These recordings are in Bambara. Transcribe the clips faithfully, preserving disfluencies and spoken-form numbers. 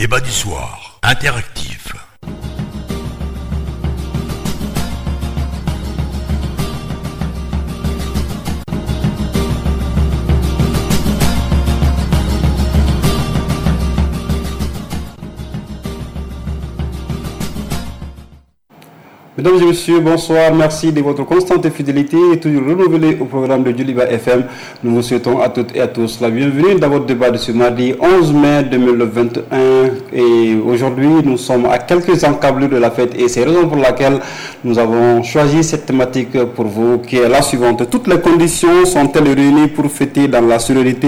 Débat du soir, interactif. Mesdames et messieurs, bonsoir. Merci de votre constante fidélité et toujours renouvelée au programme de Djoliba F M. Nous vous souhaitons à toutes et à tous la bienvenue dans votre débat de ce mardi onze mai deux mille vingt et un. Et aujourd'hui, nous sommes à quelques encablures de la fête et c'est la raison pour laquelle nous avons choisi cette thématique pour vous qui est la suivante. Toutes les conditions sont-elles réunies pour fêter dans la sérénité?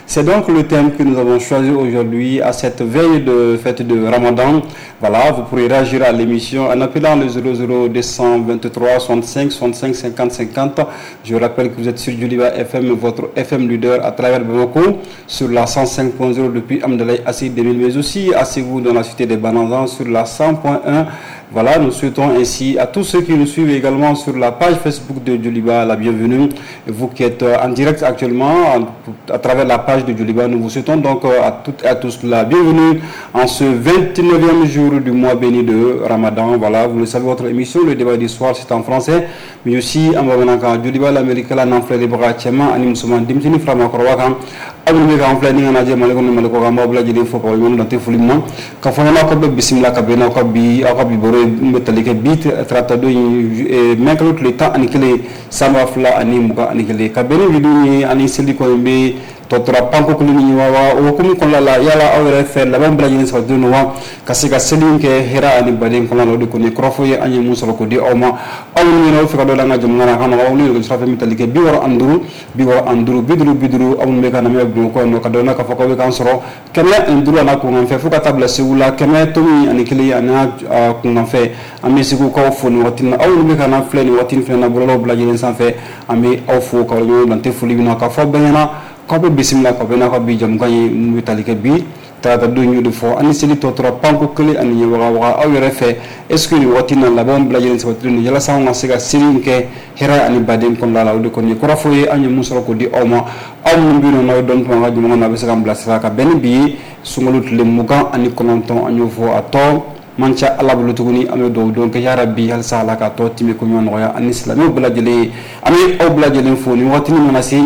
C'est donc le thème que nous avons choisi aujourd'hui à cette veille de fête de Ramadan. Voilà, vous pourrez réagir à l'émission en appelant le zéro zéro deux cent vingt-trois soixante-cinq soixante-cinq cinquante cinquante. Je rappelle que vous êtes sur Djoliba F M, votre F M leader à travers Bamako, sur la cent cinq point zéro depuis Hamdallaye Assi deux mille, mais aussi à Ségou dans la cité des Bananzans sur la cent point un. Voilà, nous souhaitons ainsi à tous ceux qui nous suivent également sur la page Facebook de Djoliba la bienvenue. Vous qui êtes en direct actuellement à travers la page de Djoliba, nous vous souhaitons donc à toutes et à tous la bienvenue en ce vingt-neuvième jour du mois béni de Ramadan. Voilà, vous le savez, votre émission, le débat du soir, c'est en français, mais aussi en bamanankan. Djoliba l'Amérique la n'en fait les bras tchema ani musulman dimtini frama korwakan. Aw minnu bɛ k'an filɛ ni ka lajɛ Mali kɔnɔ Mali kɔ kan, an b'aw bɛɛ lajɛlen fo k'aw waleɲuman dɔn tɛ foli min na. K'a fɔ ɲɛna k'aw bɛ bisimila ka bɛn n'aw ka bi aw ka bi baro ye min bɛ tali kɛ bi tarata don in mɛ kalo tile tan ani kelen san ba fila ani mugan ani kelen ka bɛn ni wuli ye ani seli kɔni bɛ tɔ tora panko kelen ni wa o hukumu kɔnɔna la yala aw yɛrɛ fɛ labɛn bɛɛ lajɛlen sabatilen don wa ka se ka seli in kɛ hɛrɛ ani baden kɔnɔna la. O de kɔni ye kɔrɔfɔ ye an ye mun sɔrɔ k'o di aw ma. Aw minnu yɛrɛ fɛ ka dɔ la an ka jamana na a ka nɔgɔn aw ni nɛgɛjuru sira fɛ min tali kɛ bi wɔɔrɔ ani duuru bi wɔɔrɔ ani duuru bi duuru bi duuru. Aw minnu bɛ ka lamɛn Bamakɔ yan nɔ ka dɔn k'a fɔ k'aw bɛ k'an sɔrɔ kɛmɛ ani duuru ani kunkanfɛ fo ka taa bila Segu la kɛmɛ tomi ani kelen ani kunkanfɛ. An bɛ Segukaw fo nin waati in na. Aw minnu bɛ ka n'an filɛ nin waati in fana na bɔlɔlɔw bɛɛ lajɛlen sanfɛ, an bɛ aw fo k'aw waleɲuman dɔn tɛ foli min na k'a fɔ bɛɛ ɲɛna k'aw bɛ bisimila k'aw bɛ n'a ka bi jamukan ye mun bɛ tali kɛ bi tarata don y'o de fɔ ani seli tɔ tora panko kelen ani ɲɛ waga waga. Aw yɛrɛ fɛ est ce que nin waati in na labɛnw bɛɛ lajɛlen sabatilen don yalasa anw ka se ka seli in kɛ hɛrɛ ani baden kɔnɔna la? O de kɔni ye kɔrɔfɔ ye an ye mun sɔrɔ k'o di aw ma. Aw minnu bɛ yen nɔ n'aw ye dɔnni to an ka jamana na, a bɛ se k'an bilasira ka bɛn ni bi ye sunkalo tile mugan ani kɔnɔntɔn. An y'o fɔ a tɔ man ca Ala bolo tuguni. An bɛ dugawu don kɛ yarabi halisa Ala k'a tɔ timi ko ɲuman nɔgɔya ani silamɛw bɛɛ lajɛlen ye. An bɛ aw bɛɛ lajɛlen fo nin waati min mana se.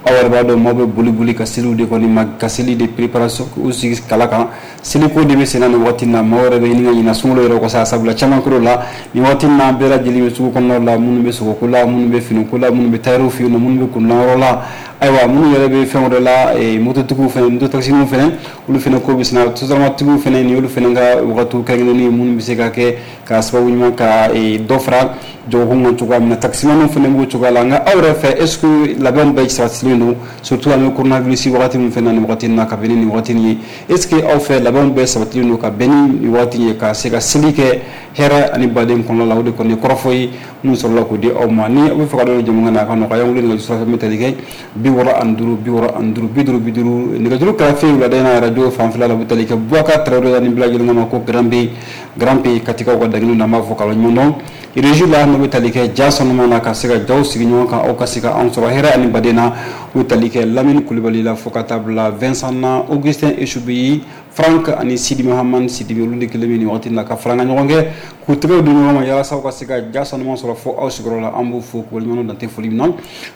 Aw yɛrɛ b'a dɔn maaw bɛ boli boli ka seliw de kɔni ma ka seli de préparation u sigi kala kan. Seliko de bɛ senna nin waati in na. Maaw yɛrɛ bɛ ɲini ka ɲina sunkalo yɛrɛ kɔ sa, sabula caman kɛr'o la nin waati in na. Bɛɛ lajɛlen bɛ sugu kɔnɔnaw la, minnu bɛ sogoko la, minnu bɛ finiko la, minnu bɛ tailleur fɛ yen nɔ, minnu bɛ kundilan la, ayiwa minnu yɛrɛ bɛ fɛn wɛrɛ la, mototigiw fɛnɛ, mototaxiniw fɛnɛ, olu fɛnɛ ko bɛ senna, sotaramatigiw fɛnɛ ni olu fɛnɛ ka wagatiw kɛrɛnkɛrɛnnen minnu bɛ se ka kɛ ka sababu ɲuman ka dɔ fara jagokun kan cogoya min na. Taximaniw fɛnɛ b'o cogoya la. Nka aw yɛrɛ fɛ est ce que labɛnw bɛɛ sabatilen don, surtout an bɛ coronavirus wagati min fɛnɛ na nin wagati in na ka bɛn ni nin wagati in ye? Est ce que aw fɛ labɛnw bɛɛ sabatilen don ka bɛn ni nin wagati in ye ka se ka seli kɛ hɛrɛ ani baden kɔnɔna la? O de kɔni ye kɔrɔfɔ ye mun sɔrɔla k'o di aw ma. Ni aw bɛ fɛ ka dɔn jamukan na a ka nɔgɔya, an wele nɛgɛjuru sira fɛ min tali kɛ bi wɔɔrɔ ani duuru bi wɔɔrɔ ani duuru bi duuru bi duuru. Nɛgɛjuru kɛrɛfɛ wulada in na arajo fanfɛla la, o bɛ tali kɛ Boubacar Traoré ni bɛɛ lajɛlen ma ko Grand P Grand P Katikaw ka daginu na, an b'a fɔ k'a waleɲuman dɔn. Régie la n'o bɛ tali kɛ ja sɔnuma na ka se ka jaw sigi ɲɔgɔn kan, aw ka se ka anw sɔrɔ hɛrɛ ani baden na. O bɛ tali kɛ Lamini Kulibali la fo ka taa bila Vincent na, Augustin Eshubi, Frank ani Sidi Mahamane Sidibe, olu de kelen bɛ nin waati in na ka fara an ka ɲɔgɔn kɛ k'u tɛgɛw di ɲɔgɔn ma yalasa aw ka se ka ja sɔnuma sɔrɔ fo aw sigiyɔrɔ la. An b'u fo k'u waleɲuman dɔn tɛ foli min na.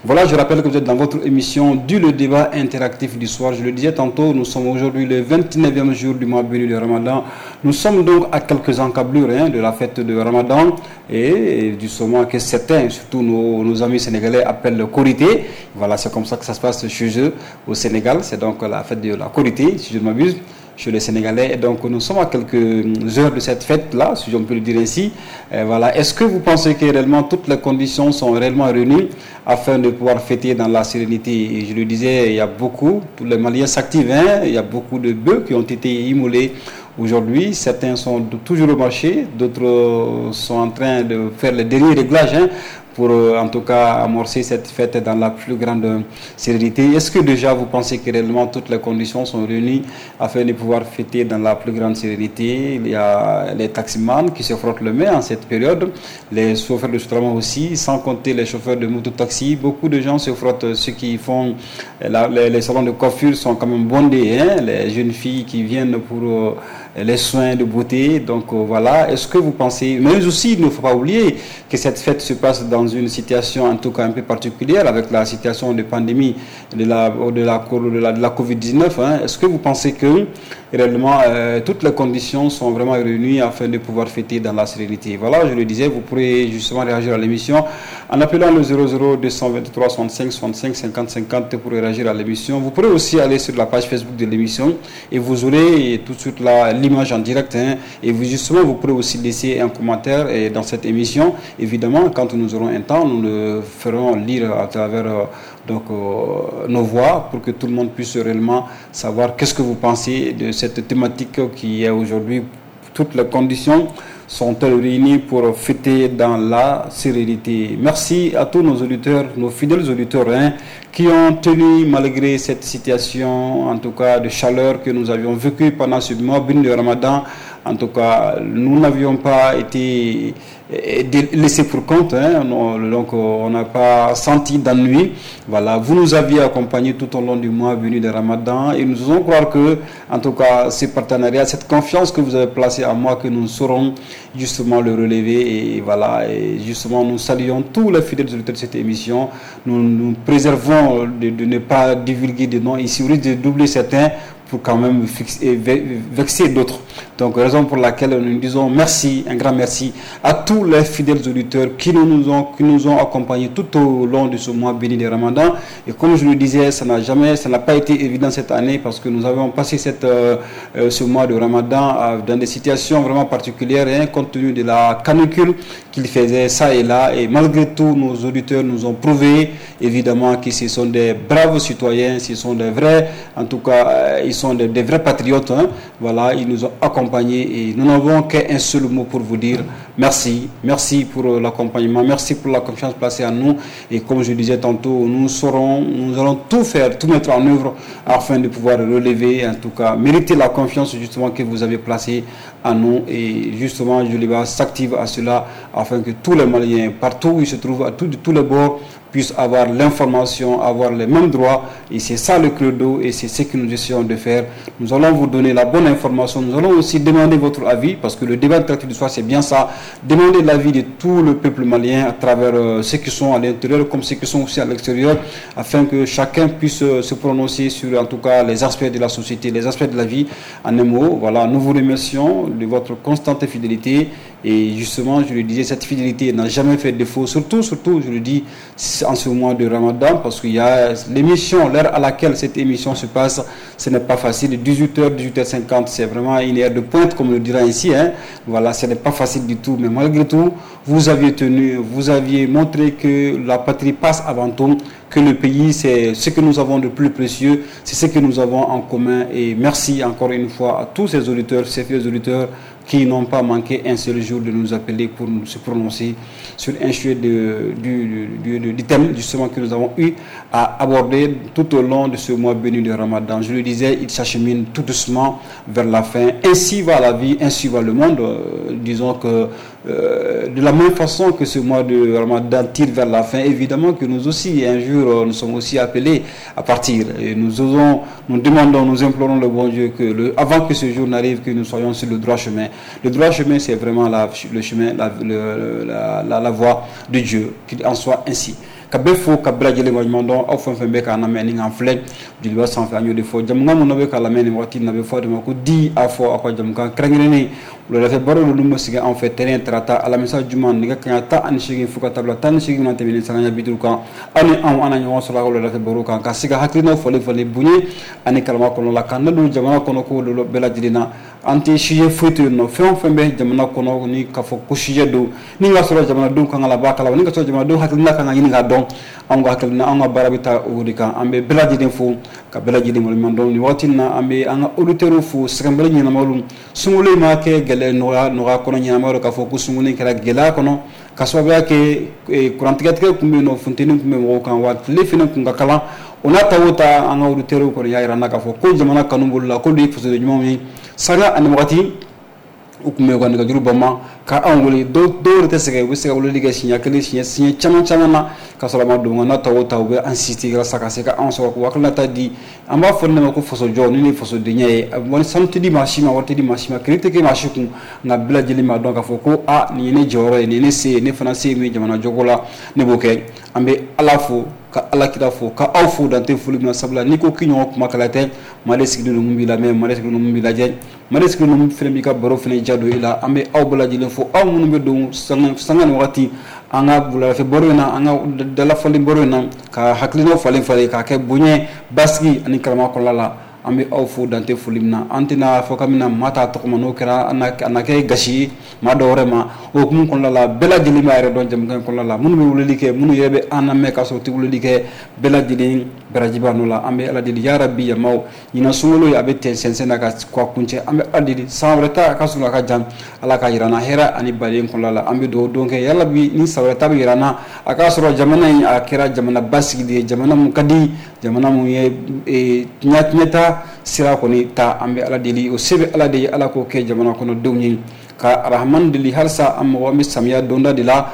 Voilà, je rappelle que vous êtes dans votre émission du le débat interactif du soir. Je le disais tantôt, nous sommes aujourd'hui le vingt-neuvième jour du mois béni de Ramadan. Nous sommes donc à quelques encablures hein, de la fête de Ramadan et du moment que certains, surtout nos, nos amis sénégalais, appellent le Korité. Voilà, c'est comme ça que ça se passe chez eux au Sénégal. C'est donc la fête de la Korité, si je ne m'abuse, chez les Sénégalais. Et donc nous sommes à quelques heures de cette fête-là, si on peut le dire ainsi. Et voilà. Est-ce que vous pensez que réellement toutes les conditions sont réellement réunies afin de pouvoir fêter dans la sérénité? Et je le disais, il y a beaucoup, tous les Maliens s'activent, hein, il y a beaucoup de bœufs qui ont été immolés aujourd'hui. Certains sont toujours au marché, d'autres sont en train de faire les derniers réglages, hein, pour en tout cas amorcer cette fête dans la plus grande sérénité. Est-ce que déjà vous pensez que réellement toutes les conditions sont réunies afin de pouvoir fêter dans la plus grande sérénité? Il y a les taximans qui se frottent le main en cette période, les chauffeurs de Sotrama aussi, sans compter les chauffeurs de moto-taxi. Beaucoup de gens se frottent, ceux qui font la, les, les salons de coiffure sont quand même bondés, hein, les jeunes filles qui viennent pour euh, les soins de beauté. Donc euh, voilà, est-ce que vous pensez, mais aussi il ne faut pas oublier que cette fête se passe dans une situation en tout cas un peu particulière avec la situation de pandémie de la, de la, de la, de la covid dix-neuf, hein. Est-ce que vous pensez que réellement euh, toutes les conditions sont vraiment réunies afin de pouvoir fêter dans la sérénité? Voilà, je le disais, vous pourrez justement réagir à l'émission en appelant le zéro zéro deux cent vingt-trois soixante-cinq soixante-cinq cinquante cinquante pour réagir à l'émission. Vous pourrez aussi aller sur la page Facebook de l'émission et vous aurez tout de suite l'image en direct, hein, et vous justement vous pourrez aussi laisser un commentaire et dans cette émission. Évidemment, quand nous aurons un temps, nous le ferons lire à travers euh, donc, euh, nos voix pour que tout le monde puisse réellement savoir qu'est-ce que vous pensez de cette thématique qui est aujourd'hui. Toutes les conditions sont-elles réunies pour fêter dans la sérénité? Merci à tous nos auditeurs, nos fidèles auditeurs, hein, qui ont tenu malgré cette situation, en tout cas de chaleur que nous avions vécue pendant ce mois béni de Ramadan. En tout cas, nous n'avions pas été laissés pour compte, hein, donc on n'a pas senti d'ennui. Voilà, vous nous aviez accompagnés tout au long du mois béni de Ramadan et nous osons croire que, en tout cas, ce partenariat, cette confiance que vous avez placée en moi, que nous saurons justement le relever. Et voilà, et justement, nous saluons tous les fidèles auditeurs de cette émission. Nous nous préservons de, de ne pas divulguer des noms ici, au risque de doubler certains pour quand même fixer, vexer d'autres. Donc, raison pour laquelle nous disons merci, un grand merci à tous les fidèles auditeurs qui nous ont, qui nous ont accompagnés tout au long de ce mois béni de Ramadan. Et comme je le disais, ça n'a jamais, ça n'a pas été évident cette année parce que nous avons passé cette, euh, ce mois de Ramadan euh, dans des situations vraiment particulières, hein, compte tenu de la canicule qu'il faisait ça et là. Et malgré tout, nos auditeurs nous ont prouvé évidemment que ce sont des braves citoyens, ce sont des vrais, en tout cas, euh, ils sont des, des vrais patriotes, hein. Voilà, ils nous ont accompagnés et nous n'avons qu'un seul mot pour vous dire merci, merci pour l'accompagnement, merci pour la confiance placée en nous. Et comme je disais tantôt, nous saurons, nous allons tout faire, tout mettre en œuvre afin de pouvoir relever, en tout cas, mériter la confiance justement que vous avez placée en nous. Et justement, Joliba s'active à cela afin que tous les Maliens, partout où ils se trouvent, à tous, de tous les bords, puissent avoir l'information, avoir les mêmes droits. Et c'est ça le credo et c'est ce que nous essayons de faire. Nous allons vous donner la bonne information. Nous allons aussi demander votre avis parce que le débat interactif du soir, c'est bien ça. Demander l'avis de tout le peuple malien à travers euh, ceux qui sont à l'intérieur comme ceux qui sont aussi à l'extérieur, afin que chacun puisse euh, se prononcer sur en tout cas les aspects de la société, les aspects de la vie. En un mot, voilà, nous vous remercions de votre constante fidélité. Et justement, je le disais, cette fidélité n'a jamais fait défaut, surtout, surtout, je le dis, en ce mois de Ramadan, parce qu'il y a l'émission, l'heure à laquelle cette émission se passe, ce n'est pas facile. dix-huit heures, dix-huit heures cinquante, c'est vraiment une heure de pointe, comme on le dira ici, hein. Voilà, ce n'est pas facile du tout, mais malgré tout, vous aviez tenu, vous aviez montré que la patrie passe avant tout, que le pays, c'est ce que nous avons de plus précieux, c'est ce que nous avons en commun. Et merci encore une fois à tous ces auditeurs, ces fidèles auditeurs qui n'ont pas manqué un seul jour de nous appeler pour nous se prononcer sur un sujet de, du, du, du, du thème justement que nous avons eu à aborder tout au long de ce mois béni de Ramadan. Je le disais, il s'achemine tout doucement vers la fin. Ainsi va la vie, ainsi va le monde. Euh, disons que euh, de la même façon que ce mois de Ramadan tire vers la fin, évidemment que nous aussi, un jour, nous sommes aussi appelés à partir. Et nous osons, nous demandons, nous implorons le bon Dieu que, le, avant que ce jour n'arrive, que nous soyons sur le droit chemin. Le droit chemin, c'est vraiment la, le chemin, la, le, la, la, la voie de Dieu, qu'il en soit ainsi. Ka bɛɛ fo ka bɛɛ lajɛlen waleɲuman dɔn aw fɛn fɛn bɛ k'an lamɛn ni k'an filɛ Joliba sanfɛ an y'o de fɔ jamukan minnu bɛ k'a lamɛn nin waati in na a bɛ fɔ de ma ko di a fɔ aw ka jamukan kɛrɛnkɛrɛnnen wuladafɛ baro ninnu bɛ sigi an fɛ tɛnɛn tarata alamisa juma nɛgɛ kanɲɛ tan ani seegin fo ka taa bila tan ni seegin na tɛmɛnen sanga bi duuru kan aw ni anw an na ɲɔgɔn sɔrɔ a ka wuladafɛ baro kan ka se ka hakilinaw falen falen bonya ani karama kɔnɔ la k'an don jamana kɔnɔ ko bɛɛ lajɛlen na. An tɛ sujet foyi to yen nɔ, fɛn o fɛn bɛ jamana kɔnɔ ni k'a fɔ ko sujet don ni ka sɔrɔ jamanadenw kan ka labɔ a kalama ni ka sɔrɔ jamanadenw hakilina kan ka ɲini k'a dɔn, anw ka hakilina anw ka baara bɛ taa o de kan. An bɛ bɛɛ lajɛlen fo ka bɛɛ lajɛlen waleɲuman dɔn nin waati in na. An bɛ an ka auditeurs fo sɛgɛnbɛrɛ ɲɛnamaw, sunkalo in ma kɛ gɛlɛya nɔgɔya nɔgɔya kɔnɔ ɲɛnama don k'a fɔ ko sunkalo in kɛra gɛlɛya kɔnɔ. Ka sababuya kɛ kurantigɛtigɛ tun bɛ yen nɔ, funteni tun bɛ mɔgɔw kan, wa tile fana tun ka kalan. O n'a ta o ta, an ka auditeurs kɔni y'a jira an na k'a fɔ ko jamana kanu b'olu la, k'olu ye fasoden ɲumanw ye. Sanga ani wagati u tun bɛ u ka nɛgɛjuru banban ka anw wele. Dɔw dɔw yɛrɛ tɛ sɛgɛn, u bɛ se ka weleli kɛ siɲɛ kelen, siɲɛ siɲɛ caman caman na ka sɔrɔ a ma don. Nka n'a ta o ta, u bɛ an insister walasa ka se ka anw sɔrɔ k'u hakilinata di. An b'a fɔ ne ma ko fasojɔ ni ne ye fasodenya ye. Wari sanu tɛ di maa si ma, wari tɛ di maa si ma, crédit tɛ kɛ maa si kun, nka bɛɛ lajɛlen b'a dɔn k'a fɔ ko a nin ye ne jɔyɔrɔ ye, nin ye ne se ye, ne fana se ye min ye jamana jɔko la, ne b'o kɛ. An bɛ Ala fo, ka Ala kira fo, ka aw fo dante foli min na, sabula n'i ko k'i ɲɔgɔn kuma kɛlɛ tɛ, maa de sigilen don mun b'i lamɛn, maa de sigilen don mun b'i lajɛ, maa de sigilen don mun fana b'i ka baro fana ja don i la. An bɛ aw bɛɛ lajɛlen fo, aw minnu bɛ don sanga sanga ni wagati an ka wulafɛ baro in na, an ka dalafɔli baro in na, ka hakilinaw falen falen k'a kɛ bonya, basigi ani karama kɔnɔna la. An bɛ aw fo dante foli min na. An tɛna fɔ k'an bɛna maa ta tɔgɔ ma, n'o kɛra a na kɛ gasi ye maa dɔw wɛrɛ ma. O hukumu kɔnɔna la, bɛɛ lajɛlen b'a yɛrɛ dɔn jamukan in kɔnɔna la, minnu bɛ weleli kɛ, minnu yɛrɛ bɛ an lamɛn k'a sɔrɔ u tɛ weleli kɛ, bɛɛ lajɛlen baraji b'a nɔ la. An bɛ Ala deli, yarabi yamaw, ɲinan sunkalo ye a bɛ tɛn sɛnsɛn na ka kuncɛ. An bɛ Ala deli san wɛrɛ ta a ka surun, a ka jan, Ala ka jira an na hɛrɛ ani baden kɔnɔna la. An bɛ dugawu don kɛ, yarabi ni san wɛrɛ ta bɛ jira an na, a k'a sɔrɔ jamana in a kɛra jamana basigi ye, jamana mun ka di, jamana mun ye ɲɛta sira kɔni ta. An bɛ Ala deli, o se bɛ Ala de ye, Ala k'o kɛ jamana kɔnɔdenw ye. Ka Arahamani deli halisa, an mɔgɔ an bɛ samiya donda de la,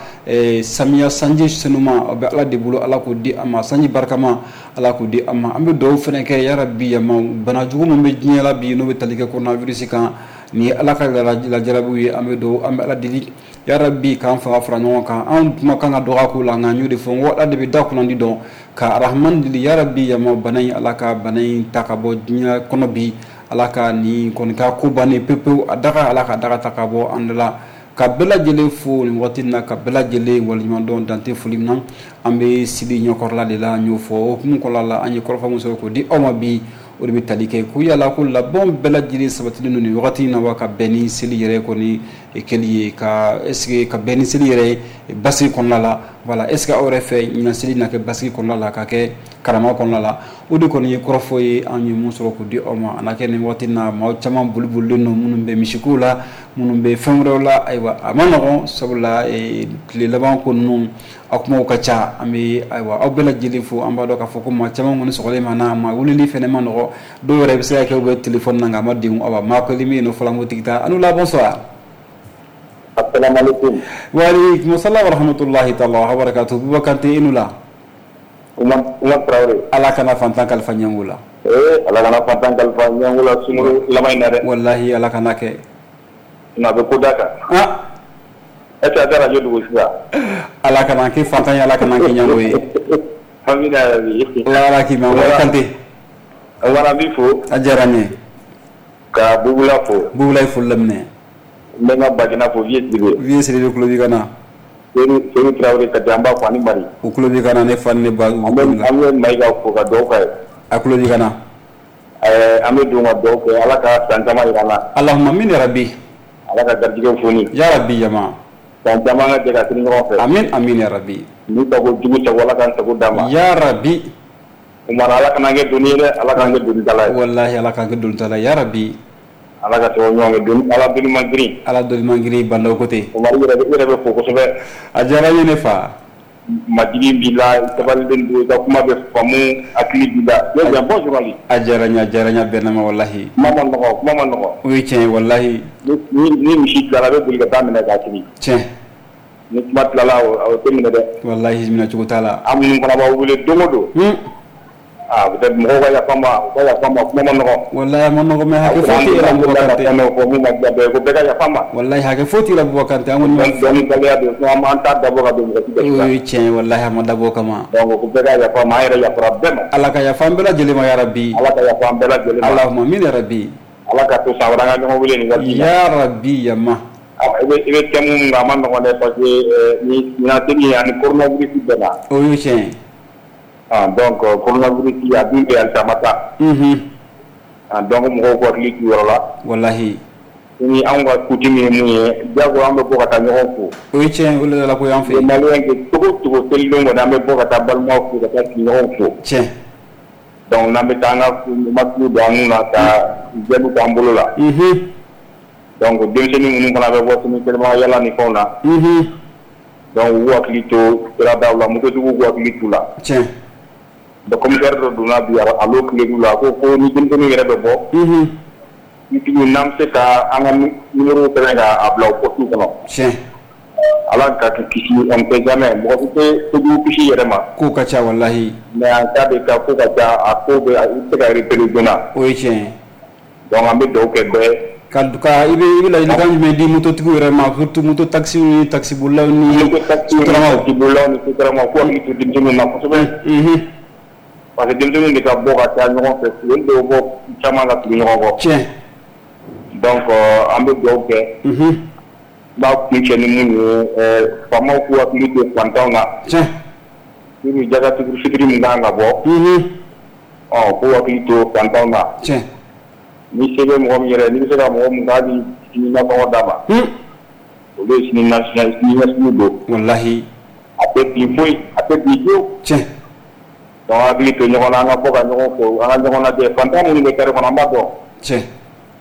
samiya sanji senuma o bɛ Ala de bolo, Ala k'o di an ma, sanji barikama Ala k'o di an ma. An bɛ dugawu fana kɛ, yarabi yama, bana jugu min bɛ diɲɛ la bi n'o bɛ tali kɛ coronavirus kan, nin ye Ala ka lajarabiw ye. An bɛ dugawu, an bɛ Ala deli yarabi k'an fanga fara ɲɔgɔn kan. Anw kuma kan ka dɔgɔ ko la, nka n y'o de fɔ, n ko Ala de bɛ da kunnandi dɔn. Ka Arahamani deli, yarabi yama, bana in, Ala ka bana in ta ka bɔ diɲɛ kɔnɔ bi, Ala ka nin kɔni ka ko bannen pewu pewu, a daga Ala ka daga ta ka bɔ an da la. Ka bɛɛ lajɛlen fo nin waati in na, ka bɛɛ lajɛlen waleɲuman dɔn dante foli min na. An bɛ sili ɲɛkɔrɔla de la, n y'o fɔ o hukumu kɔnɔna la, an ye kɔrɔfɔ min sɔrɔ k'o di aw ma bi, o de bɛ tali kɛ ko yala ko labɛnw bɛɛ lajɛlen sabatilen don nin wagati in na wa, ka bɛn ni seli yɛrɛ kɔni kɛli ye, ka est ce que ka bɛn ni seli yɛrɛ basigi kɔnɔna la. Voilà, est ce que aw yɛrɛ fɛ ɲinan seli na kɛ basigi kɔnɔna la, ka kɛ karama kɔnɔna la? O de kɔni ye kɔrɔfɔ ye an ye mun sɔrɔ k'o di aw ma. A na kɛ nin waati in na, maa caman boli bolilen don, minnu bɛ misikow la, minnu bɛ fɛn wɛrɛw la. Ayiwa, a ma nɔgɔn, sabula tile laban ko ninnu a kumaw ka ca. An bɛ ayiwa aw bɛɛ lajɛlen fo. An b'a dɔn k'a fɔ ko maa caman kɔni sɔgɔlen ma na, maa weleli fɛnɛ ma nɔgɔ, dɔw yɛrɛ bɛ se ka kɛ u bɛ téléphone na nka a ma denw. Awa, maa kelen bɛ yen nɔ fɔlɔ, an b'o tigi ta. An la, bonsoir. Assalamu alaikum. Wa alaikum salam wa rahmatullahi taala wa barakatuh. Buba Kante, i nu la. Umar Umar Traoré. Ala kana fantan kalifa ɲɛngo la. Eh, Ala kana fantan kalifa ɲɛngo la sunkalo laban in na dɛ. Wallahi, Ala kana kɛ. Na bɛ ko da kan. Ah. E tɛ a radio dugu sisan. Ala kana kɛ fantan ye, Ala kana kɛ ɲɛngo ye. Amina yarabi. Ala k'i ma. Buba Kante. Wala, n b'i fo. A diyara n ye. Ka Bubula fo. Bubula ye foli laminɛ. N bɛ n ka Bagina fo, Vieux Sidibe. Vieux Sidibe tulo b'i ka na. Seydou Seydou Traoré ka di, an b'a fo ani Mari. U tulo b'i ka na, ne fa ni ne ba. An bɛ an bɛ Mayiga fo ka dugawu k'a ye. A tulo b'i ka na. Ɛɛ, an bɛ don ka dugawu kɛ, Ala ka san caman jira an na. Allahumma amin ya rabbi. Ala ka garijɛgɛw foni. Ya rabbi jama. San caman ka jɛ ka sini ɲɔgɔn fɛ. Amin amin ya rabbi. Ni sago jugu sago, Ala k'an sago d'a ma. Ya rabbi. Umar, Ala kana kɛ doni ye dɛ, Ala k'an kɛ donitala ye. Wallahi, Ala k'an kɛ donitala ye ya rabbi. Ala ka sababu ɲuman kɛ, doni Ala doni man girin. Ala doni man girin, Bandaw ko ten. Umar, i yɛrɛ bɛ i yɛrɛ bɛ fo kosɛbɛ. A diyara n ye ne fa. Majigin b'i la, sabalilen don, i ka kuma bɛ faamu, hakili b'i la. Ne bien, bon journaliste. A diyara n ye, a diyara n ye, a bɛnna ma wallahi. Kuma ma nɔgɔ, kuma ma nɔgɔ. O ye tiɲɛ ye wallahi. Ni ni ni misi tilala, a bɛ boli ka taa minɛ k'a siri. Tiɲɛ. Ni kuma tilala, o tɛ minɛ dɛ. Wallahi, minɛ cogo t'a la. An minnu fana b'aw wele don o don. Hmm. Ah, peut-être mɔgɔw ka yafa n ma, u ka yafa n ma, kuma ma nɔgɔ. Wallahi, a ma nɔgɔ, mais hakɛ foyi t'i la Buba Kante. Fɛn dɔw fɔ mun ma diya bɛɛ ye, ko bɛɛ ka yafa n ma. Wallahi, hakɛ foyi t'i la Buba Kante, an kɔni ma. Dɔnni baliya don, sinon an t'a dabɔ ka don mɔgɔ si gasi la. O ye tiɲɛ ye wallahi, a ma dabɔ o kama. Donc ko bɛɛ ka yafa n ma, an yɛrɛ yafara bɛɛ ma. Ala ka yafa an bɛɛ lajɛlen ma ya rabbi. Ala ka yafa an bɛɛ lajɛlen ma. Allahumma amin ya rabbi. Ala ka to san wɛrɛ an ka ɲɔgɔn wele nin waati in na. Ya rabbi yama. I bɛ i bɛ thème mun kan, a ma nɔgɔn dɛ, parce que ni ɲinan seli ani coronavirus bɛnna. O ye tiɲɛ ye. Ah, donc coronavirus a dun bɛ halisa a ma taa. Unhun. Ah, donc mɔgɔw k'u hakili t'u yɔrɔ la. Wallahi. Ni anw ka coutume ye mun ye, diyagoya an bɛ bɔ ka taa ɲɔgɔn fo. O ye tiɲɛ ye, o de la ko y'an fɛ yen. Maliyɛn kɛ cogo o cogo, selidon kɔni an bɛ bɔ ka taa balimaw fo, ka taa sigiɲɔgɔnw fo. Tiɲɛ. Donc n'an bɛ taa an ka masque don an nun na, ka gel k'an bolo la. Unhun. Donc denmisɛnnin minnu fana bɛ bɔ sini kɛnɛma yala ni fɛnw na. Unhun. Donc u hakili to siradaw la, mototigiw k'u hakili t'u la. Tiɲɛ. Donc commissaire dɔ donna bi alo tile la, a ko ko ni denmisɛnninw yɛrɛ bɛ bɔ, unhun, nitigiw n'an bɛ se ka an ka numéro sɛbɛn k'a bila o poste kɔnɔ. Tiɲɛ. Ala ka kisi, on ne sait jamais, mɔgɔ si tɛ kojugu kisi yɛrɛ ma. Kow ka ca walahi. Mais en cas de cas ko ka ca, a ko bɛ i bɛ se ka repérer joona. O ye tiɲɛ ye. Donc an bɛ dugawu kɛ bɛɛ. Ka ka i bɛ i bɛ ladilikan jumɛn di mototigiw yɛrɛ ma, surtout moto taxi ni taxibolilaw ni moto taxi ni taxibolilaw ni sotaramaw, k'u hakili to denmisɛnninw na kosɛbɛ. Unhun. Parce que denmisɛnninw de ka bɔ ka taa ɲɔgɔn fɛ, olu de bɛ bɔ caman ka tugu ɲɔgɔn kɔ. Tiɲɛ. Donc an bɛ dugawu kɛ. Unhun. N b'a kuncɛ ni mun ye, faamaw k'u hakili to fantanw na. Tiɲɛ. Ni jaka fitiri min kan ka bɔ. Unhun. Ɔ k'u hakili to fantanw na. Tiɲɛ. Ni se bɛ mɔgɔ min yɛrɛ, n'i bɛ se ka mɔgɔ min k'a bɛ sini nasɔngɔ d'a ma. Olu ye sini ɲɛsigi don. Walahi. A tɛ bin foyi, a tɛ bin fiyewu. Tiɲɛ. Donc hakili to ɲɔgɔn na, an ka bɔ ka ɲɔgɔn fo, an ka ɲɔgɔn lajɛ, fantan minnu bɛ carré kɔnɔ an b'a dɔn. Tiɲɛ.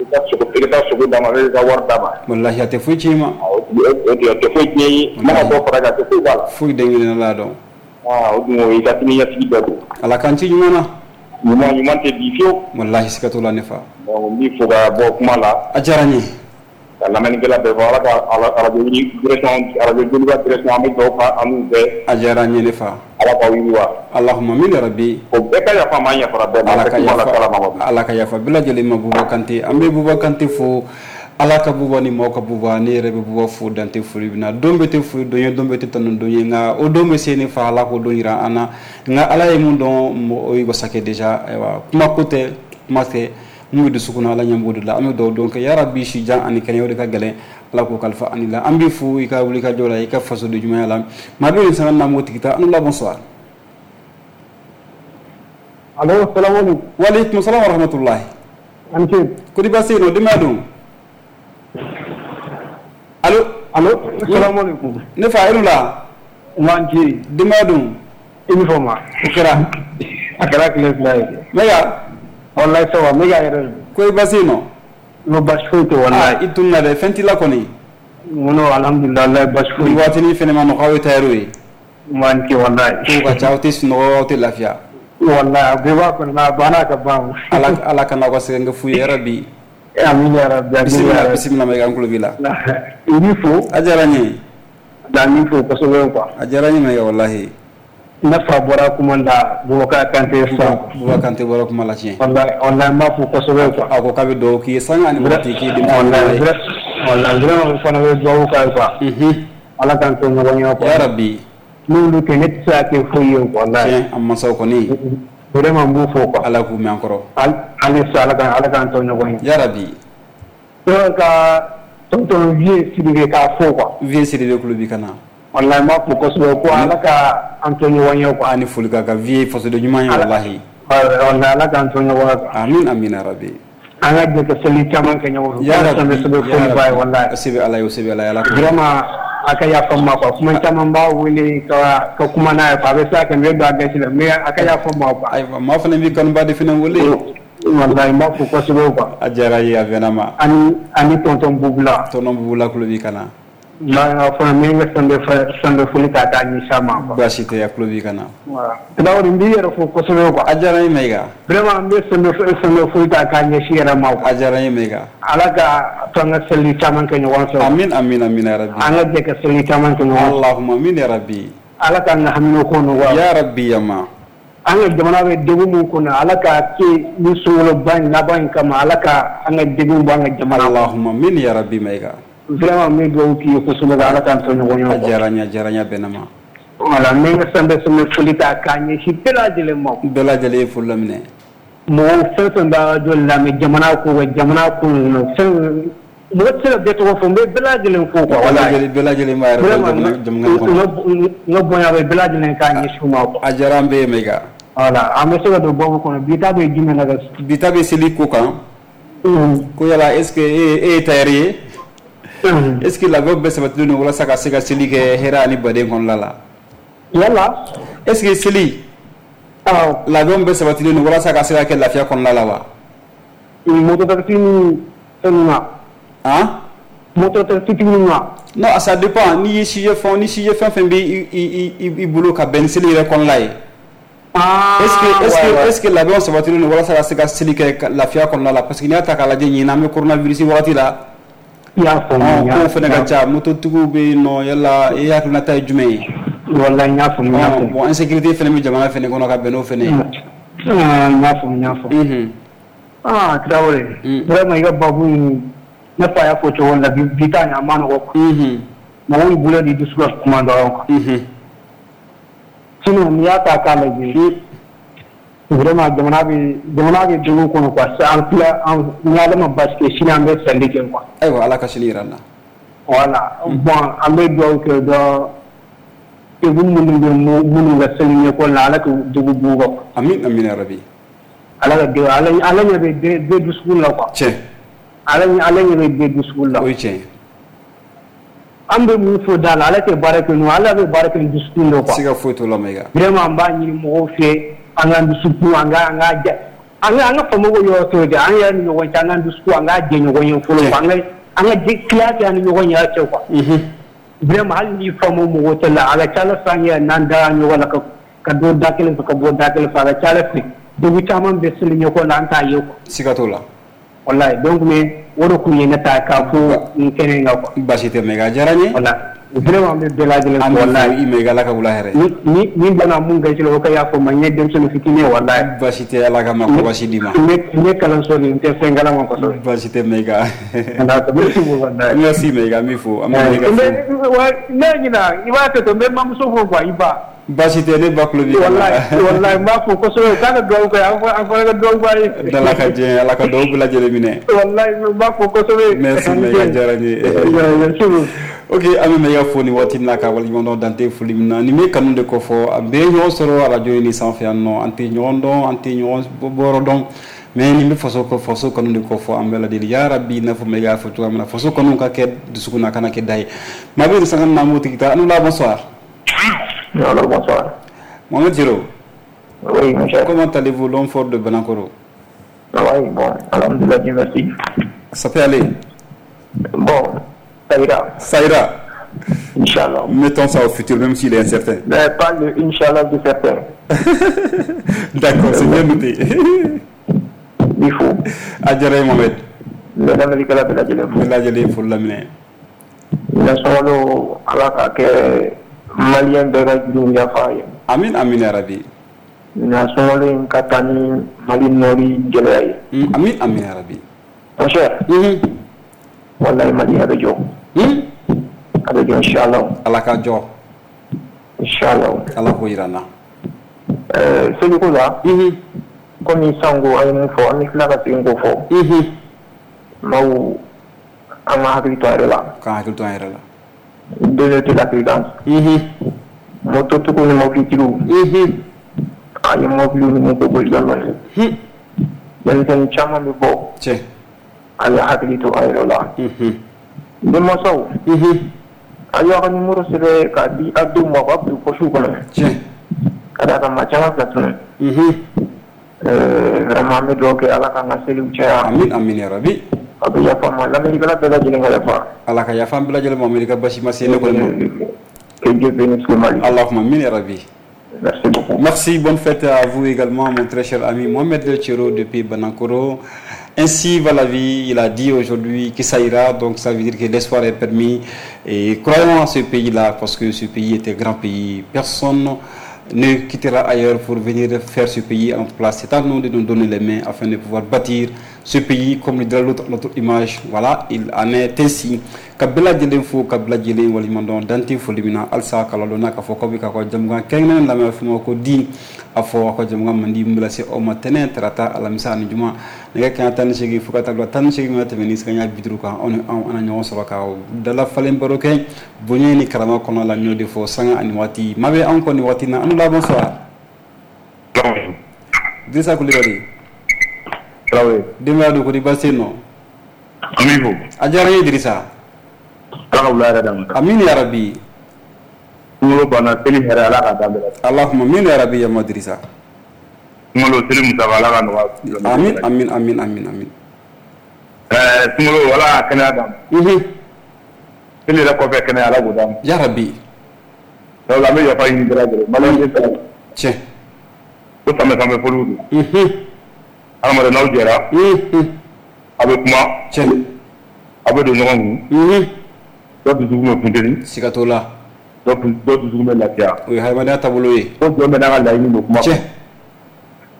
I ka sogo, i ka taa sogo d'a ma, i ka wari d'a ma. Walahi a tɛ foyi tiɲɛ i ma. O a tɛ foyi tiɲɛ i ye, mana dɔ fara a kan, a tɛ foyi b'a la. Foyi den kelen la dɔn. Aa o dun o y'i ka sini ɲɛsigi bɛɛ don. Ala k'an ci ɲuman na. Ɲuman ɲuman tɛ bi fiyewu. Walahi siga t'o la ne fa. Donc n b'i fo ka bɔ kuma la. A diyara n ye. Ka lamɛnnikɛla bɛɛ fɔ, Ala ka arajo direction, arajo Joliba direction, an bɛ dugawu kɛ an n'u bɛɛ. A diyara n ye ne fa. Ala k'aw yiriwa. Allahumma amin ya rabbi. O bɛɛ ka yafa ma, an yafara bɛɛ ma. Ala ka yafa, Ala ka yafa bɛɛ lajɛlen ma. Buba Kante, an bɛ Buba Kante fo. Ala ka buba ni maaw ka buba, ne yɛrɛ bɛ buba fo dante foli bɛ na. Don bɛ tɛ foli don ye, don bɛ tɛ tanu don ye, nka o don bɛ se ne fa, Ala k'o don jira an na. Nka Ala ye mun dɔn, o ye wasa kɛ déjà. Ayiwa, kuma ko tɛ, kuma tɛ mun bɛ dusukun na, Ala ɲɛ b'o de la. An bɛ dugawu don kɛ yarabi si jan ani kɛnɛya, o de ka gɛlɛn, Ala k'o kalifa ani la. An b'i fo i ka wuli ka jɔ la, i ka fasoden ɲumanya la. Maa bɛ nin sanga na m'o tigi ta. An la bonsoir. Allo, salamu alaikum. Wa alaikum salam wa rahmatullahi. An ce. Kodi baasi yen nɔ, denbaya dun? Allo. Allo, salamu alaikum. Ne fa, e la. Man ce. Denbaya dun? I ni fama. O kɛra. A kɛra tile fila ye. Mɛga. Wallahi ça va, mɛga yɛrɛ. Ko i baasi yen nɔ? No, baasi foyi tɛ wallahi. I tununa dɛ, fɛn t'i la kɔni? Non, alhamdulillah, wallahi baasi foyi. Ni waatinin fɛnɛ ma nɔgɔ, aw ye tailleur ye. Man ce wallahi. Kow ka ca, aw tɛ sunɔgɔ, aw tɛ lafiya. Wallahi a bɛɛ b'a kɔnɔ, a banna ka ban. Ala Ala kana aw ka sɛgɛn kɛ fu ye yarabi. Amin ya rabbi. Bisimila, bisimila Mayiga, an tulo b'i la. I b'i fo. A diyara n ye. Da n b'i fo kosɛbɛ quoi. A diyara n ye Mayiga wallahi. Ne fa bɔra kuma la, Bubakar Kante sisan. Bubakar Kante bɔra kuma la tiɲɛ. Wallahi wallahi n b'a fo kosɛbɛ quoi. A ko k'a bɛ dugawu k'i ye sanga ani waati k'i denmisɛnnin ye. Wallahi vraiment o fana bɛ dugawu k'a ye quoi. Unhun. Ala k'an to ɲɔgɔn ye quoi. Yarabi. N'olu tɛ, ne tɛ se ka kɛ foyi ye quoi. Tiɲɛ, an mansaw kɔni. Vraiment n b'u fo quoi. Ala k'u mɛn an kɔrɔ. Hali sa Ala k'an Ala k'an to ɲɔgɔn ye. Yarabi. Donc ka tonton Vieux Sidibé k'a fo quoi. Vieux Sidibé tulo b'i ka na. Wallahi n b'a fo kosɛbɛ ko Ala ka an to ɲɔgɔn ye quoi. Ani foli ka kan Vieux fasoden ɲuman ye wallahi. Wallahi Ala k'an to ɲɔgɔn ye quoi. Amin amin ya rabbi. An ka jɛ ka seli caman kɛ ɲɔgɔn fɛ. Yarabi. Wallahi. O se bɛ Ala ye, o se bɛ Ala ye, Ala k'o. Vraiment a ka yafa n ma quoi, kuma caman b'a wele ka ka kuma n'a ye quoi, a bɛ se ka kɛ n bɛ don a gasi la, mais a ka yafa n ma quoi. Ayiwa, maa fana b'i kanuba de fana wele. Wallahi n b'a fo kosɛbɛ quoi. A diyara n ye, a bɛnna ma. Ani ani tonton Bubula. Tonton Bubula tulo b'i ka na. Nka fana n bɛ n ka sanbɛ sanbɛ foli ta k'a ɲɛsin a ma quoi. Baasi tɛ, a tulo b'i ka na. Voilà. Tarawele, n b'i yɛrɛ fo kosɛbɛ quoi. A diyara n ye Mayiga. Vraiment n bɛ sanbɛ sanbɛ foli ta k'a ɲɛsin yɛrɛ ma quoi. A diyara n ye Mayiga. Ala ka to an ka seli caman kɛ ɲɔgɔn fɛ. Amin amin amin ya rabbi. An ka jɛ ka seli caman kɛ ɲɔgɔn fɛ. Allahumma amin ya rabbi. Ala k'an ka hamina ko nɔgɔya. Ya rabbi yama. An ka jamana bɛ degun min kɔnɔ, Ala ka kɛ ni sunkaloba in laban in kama, Ala ka an ka degun bɔ an ka jamana. Allahumma amin ya rabbi Mayiga. Vraiment n bɛ dugawu k'i ye kosɛbɛ, Ala k'an to ɲɔgɔn ye. A diyara n ye, a diyara n ye, a bɛnna ma. Voilà, n bɛ n ka sanbɛ sanbɛ foli ta k'a ɲɛsin bɛɛ lajɛlen ma. Bɛɛ lajɛlen ye foli laminɛ. Mɔgɔw fɛn fɛn bɛ arajo lamɛn, jamana ko kan, jamana ko ninnu, fɛn mɔgɔ tɛ se ka bɛɛ tɔgɔ fɔ, n bɛ bɛɛ lajɛlen fo quoi. Bɛɛ lajɛlen b'a yɛrɛ dɔn jamana kɔnɔ. N ka bonya bɛ bɛɛ lajɛlen k'a ɲɛsin u ma quoi. A diyara an bɛɛ ye Mayiga. Voilà, an bɛ se ka don baabu kɔnɔ, bi ta bɛ jumɛn na? Bi ta bɛ seli ko kan. Ko yala est ce que e ye tailleur ye? Est ce que labɛnw bɛɛ sabatilen don walasa ka se ka seli kɛ hɛrɛ ani baden kɔnɔna la? Yala. Est ce que seli Awɔ. labɛnw bɛɛ sabatilen don walasa ka se ka kɛ lafiya kɔnɔna la wa? Moto taxi ni fɛn ninnu na. Han? Moto fitinin wa? Non, ça dépend. N'i ye sujet fɛn ni sujet fɛn fɛn bɛ i i bolo ka bɛn ni seli yɛrɛ kɔnɔna ye. Ah, est-ce que est-ce que est-ce que labɛnw sabatilen don walasa ka se ka seli kɛ lafiya kɔnɔna la? Parce que n'i y'a ta k'a lajɛ ɲinan an bɛ coronavirus wagati la. I y'a faamu. Kow fana ka ca, mototigiw bɛ yen nɔ, yala e hakilinata ye jumɛn ye? Walahi n y'a faamu, n y'a faamu. Bon, insécurité fana bɛ jamana fana kɔnɔ ka bɛn n'o fana ye. N y'a faamu, n y'a faamu. Ah, Traoré, vraiment i ka babu in, ne fa y'a fɔ cogo min na, bi ta in a ma nɔgɔ quoi. Mɔgɔw y'u bolo di dusu ka kuma dɔrɔn quoi. Sinon n'i y'a ta k'a lajɛ, vraiment jamana bɛ jamana bɛ degun kɔnɔ quoi. An filɛ, an ni Ala ma baasi kɛ, sini an bɛ sali kɛ quoi. Ayiwa, Ala ka sini jira an na. Voilà, bon, an bɛ dugawu kɛ dɔrɔn, degun minnu bɛ minnu ka seli ɲɛkɔli la, Ala ka degun b'u kan. Amin amin ya rabi. Ala ka degun, Ala Ala ɲɛ bɛ bɛɛ dusukun la quoi. Tiɲɛ. Ala Ala ɲɛ bɛ bɛɛ dusukun la. O ye tiɲɛ ye. An bɛ mun fɔ da la, Ala tɛ baara kɛ n'o, Ala bɛ baara kɛ ni dusukun de quoi. Siga foyi t'o la Mayiga. Vraiment an b'a ɲini mɔgɔw fɛ, an k'an dusukun, an ka an ka jɛ, an ka an ka faamaw yɔrɔ t'o de, an yɛrɛ ni ɲɔgɔn cɛ, an k'an dusukun, an k'a jɛ ɲɔgɔn ye fɔlɔ quoi, an ka an ka tila kɛ an ni ɲɔgɔn yɛrɛ cɛ quoi. Vraiment hali ni faamaw mɔgɔ tɛ la, a ka ca Ala fɛ an yɛrɛ n'an dara ɲɔgɔn la ka ka don da kelen fɛ ka bɔ da kelen fɛ, a ka ca Ala fɛ degun caman bɛ seli ɲɛkɔ la, an t'a ye quoi. Siga t'o la. Walahi, donc mais o de kun ye ne ta k'a fɔ nin kɛnɛ in kan quoi. Baasi tɛ Mayiga, a diyara n ye. Walahi, vraiment an bɛ bɛɛ lajɛlen fo walahi. I Mayiga, Ala ka wula hɛrɛ. Ni ni ni bana mun gasi la, o ka yafa n ma, n ye denmisɛnnin fitinin ye walahi. Baasi tɛ, Ala ka makɔrɔbasi d'i ma. N ye kalanso de, n tɛ fɛn kalama kosɛbɛ. Baasi tɛ Mayiga. Merci beaucoup walahi. Merci Mayiga, n b'i fo. An bɛ Mayiga fo. Ne ɲina, i b'a to ten, n bɛ mamuso fo quoi, i ba. Baasi tɛ, ne ba tulo b'i la. Walahi walahi, n b'a fo kosɛbɛ, k'a ka dugawu kɛ, an fana ka dugawu k'a ye. Ala ka diɲɛ, Ala ka dugawu bɛɛ lajɛlen minɛ. Walahi, n b'a fo kosɛbɛ. Merci Mayiga, diyara n ye. Merci beaucoup. Ok, an bɛ Mayiga fo nin waati in na ka waleɲuman dɔn dante foli min na. Nin bɛ kanu de kofɔ, an bɛɛ ye ɲɔgɔn sɔrɔ arajo in sanfɛ yan nɔ, an tɛ ɲɔgɔn dɔn, an tɛ ɲɔgɔn bɔyɔrɔ dɔn, mais nin bɛ faso faso kanu de kofɔ, an bɛɛ lajɛlen. Ya rabi, i n'a fɔ Mayiga y'a fɔ cogoya min na, faso kanu ka kɛ dusukun na, a kana kɛ da ye. Maa bɛ nin sanga in na, an b'o tigi ta. An la, bonsoir. Alors, bonsoir. Mohamed Djiro. Oui, mon cher. Comment allez-vous, l'homme fort de Banankoro? Oui, bon, alhamdoulilah, Dieu merci. Ça peut aller? Bon, ça ira. Ça ira. Inch'Allah. Mettons ça au futur, même s'il est incertain. Mais pas le Inch'Allah de certain. D'accord, c'est bien noté. Il faut. A diyara n ye Mohamed. Bɛɛ la bɛɛ lajɛlen fo. Bɛɛ lajɛlen fo laminɛ. Ɲinan Ala k'a kɛ malien bɛɛ ka jurumu yafa ye. Amin amin ya rabi. Ɲinan sunkalo in ka taa ni Mali nɔri gɛlɛya ye. Amin amin ya rabi. Mon cher. Wallahi Mali a bɛ jɔ. A bɛ jɔ inchallah. Ala ka jɔ. Inchallah. Ala k'o jira an na. Ɛɛ seliko la. Komi sango an ye mun fɔ, an bɛ tila ka segin k'o fɔ. Maaw, an ka hakili to an yɛrɛ la. K'an hakili to an yɛrɛ la. Deux de la prudence. Mototigiw ni mobilitigiw. A ye mobili ninnu ko boli dɔɔni. Denmisɛnnin caman bɛ bɔ. Tiɲɛ. A ye hakili to a yɛrɛ la. Denmansaw. A y'aw ka numéro sɛbɛn k'a di aw denw ma, u k'a bila poche kɔnɔ. Tiɲɛ. Ka d'a kan maa caman fila tunun. Vraiment an bɛ dugawu kɛ Ala k'an ka seliw caya. Amin amin ya rabi. A bɛ yafa ma, lamɛnnikɛla bɛɛ lajɛlen ka yafa. Ala ka yafa an bɛɛ lajɛlen ma, Amerika basi ma se ne kɔni ma. Que Dieu bénisse le Mali. Allahumma amin ya rabi. Merci beaucoup. Merci, bonne fête à vous également, mon très cher ami Mohamed Djiro depuis Banankoro. Ainsi va la vie, il a dit aujourd'hui que ça ira, donc ça veut dire que l'espoir est permis. Et croyons en ce pays-là, parce que ce pays est un grand pays. Personne ne quittera ailleurs pour venir faire ce pays en place. C'est à nous de nous donner les mains afin de pouvoir bâtir ce pays comme le dirait l'autre, notre image. Voilà, il en est ainsi. Ka bɛɛ lajɛlen fo, ka bɛɛ lajɛlen waleɲuman dɔn dante foli min na halisa ka ladɔnna k'a fɔ k'aw bɛ k'aw ka jamukan kɛrɛnkɛrɛnnen lamɛn, a fɔ ma ko di a fɔ aw ka jamukan mandi min bɛ lase aw ma tɛnɛn, tarata, alamisa ani juma nɛgɛ kanɲɛ tan ni seegin fo ka taa bila tan ni seegin mana tɛmɛ ni sanga bi duuru kan, anw ni anw an na ɲɔgɔn sɔrɔ ka dala falen baro kɛ bonya ni karama kɔnɔ la. N y'o de fɔ sanga ani waati maa bɛ anw kɔ nin waati in na. An la, bonsoir. Dirisa Kulibali. Traoré. Denbaya don, ko di baasi tɛ yen nɔ? An b'i fo. A diyara n ye Dirisa. Ala ka wula hɛrɛ d'an ma. Amin ya rabi. Sunkalo banna, seli hɛrɛ Ala k'a d'an bɛɛ la. Allahumma amin ya rabi yama Dirisa. Sunkalo seli musaka Ala ka nɔgɔya. Amin amin amin amin amin. Ɛɛ sunkalo Ala ka kɛnɛya d'an ma. Mhm. Seli yɛrɛ kɔfɛ kɛnɛ Ala k'o d'an ma. Yarabi. Donc an bɛ yafa ɲini bɛɛ lajɛlen maliyɛn tɛ tiɲɛ. Ko sanbɛ sanbɛ foliw don. Unhun. Hadamaden n'aw jɛra. Unhun. A bɛ kuma. Tiɲɛ. A bɛ don ɲɔgɔn kun. Unhun. Dɔ dusukun bɛ funteni. Siga t'o la. Dɔ dusukun bɛ lafiya. O ye hadamadenya taabolo ye. Ko jɔn bɛɛ n'a ka laɲini don kuma kɔnɔ. Tiɲɛ.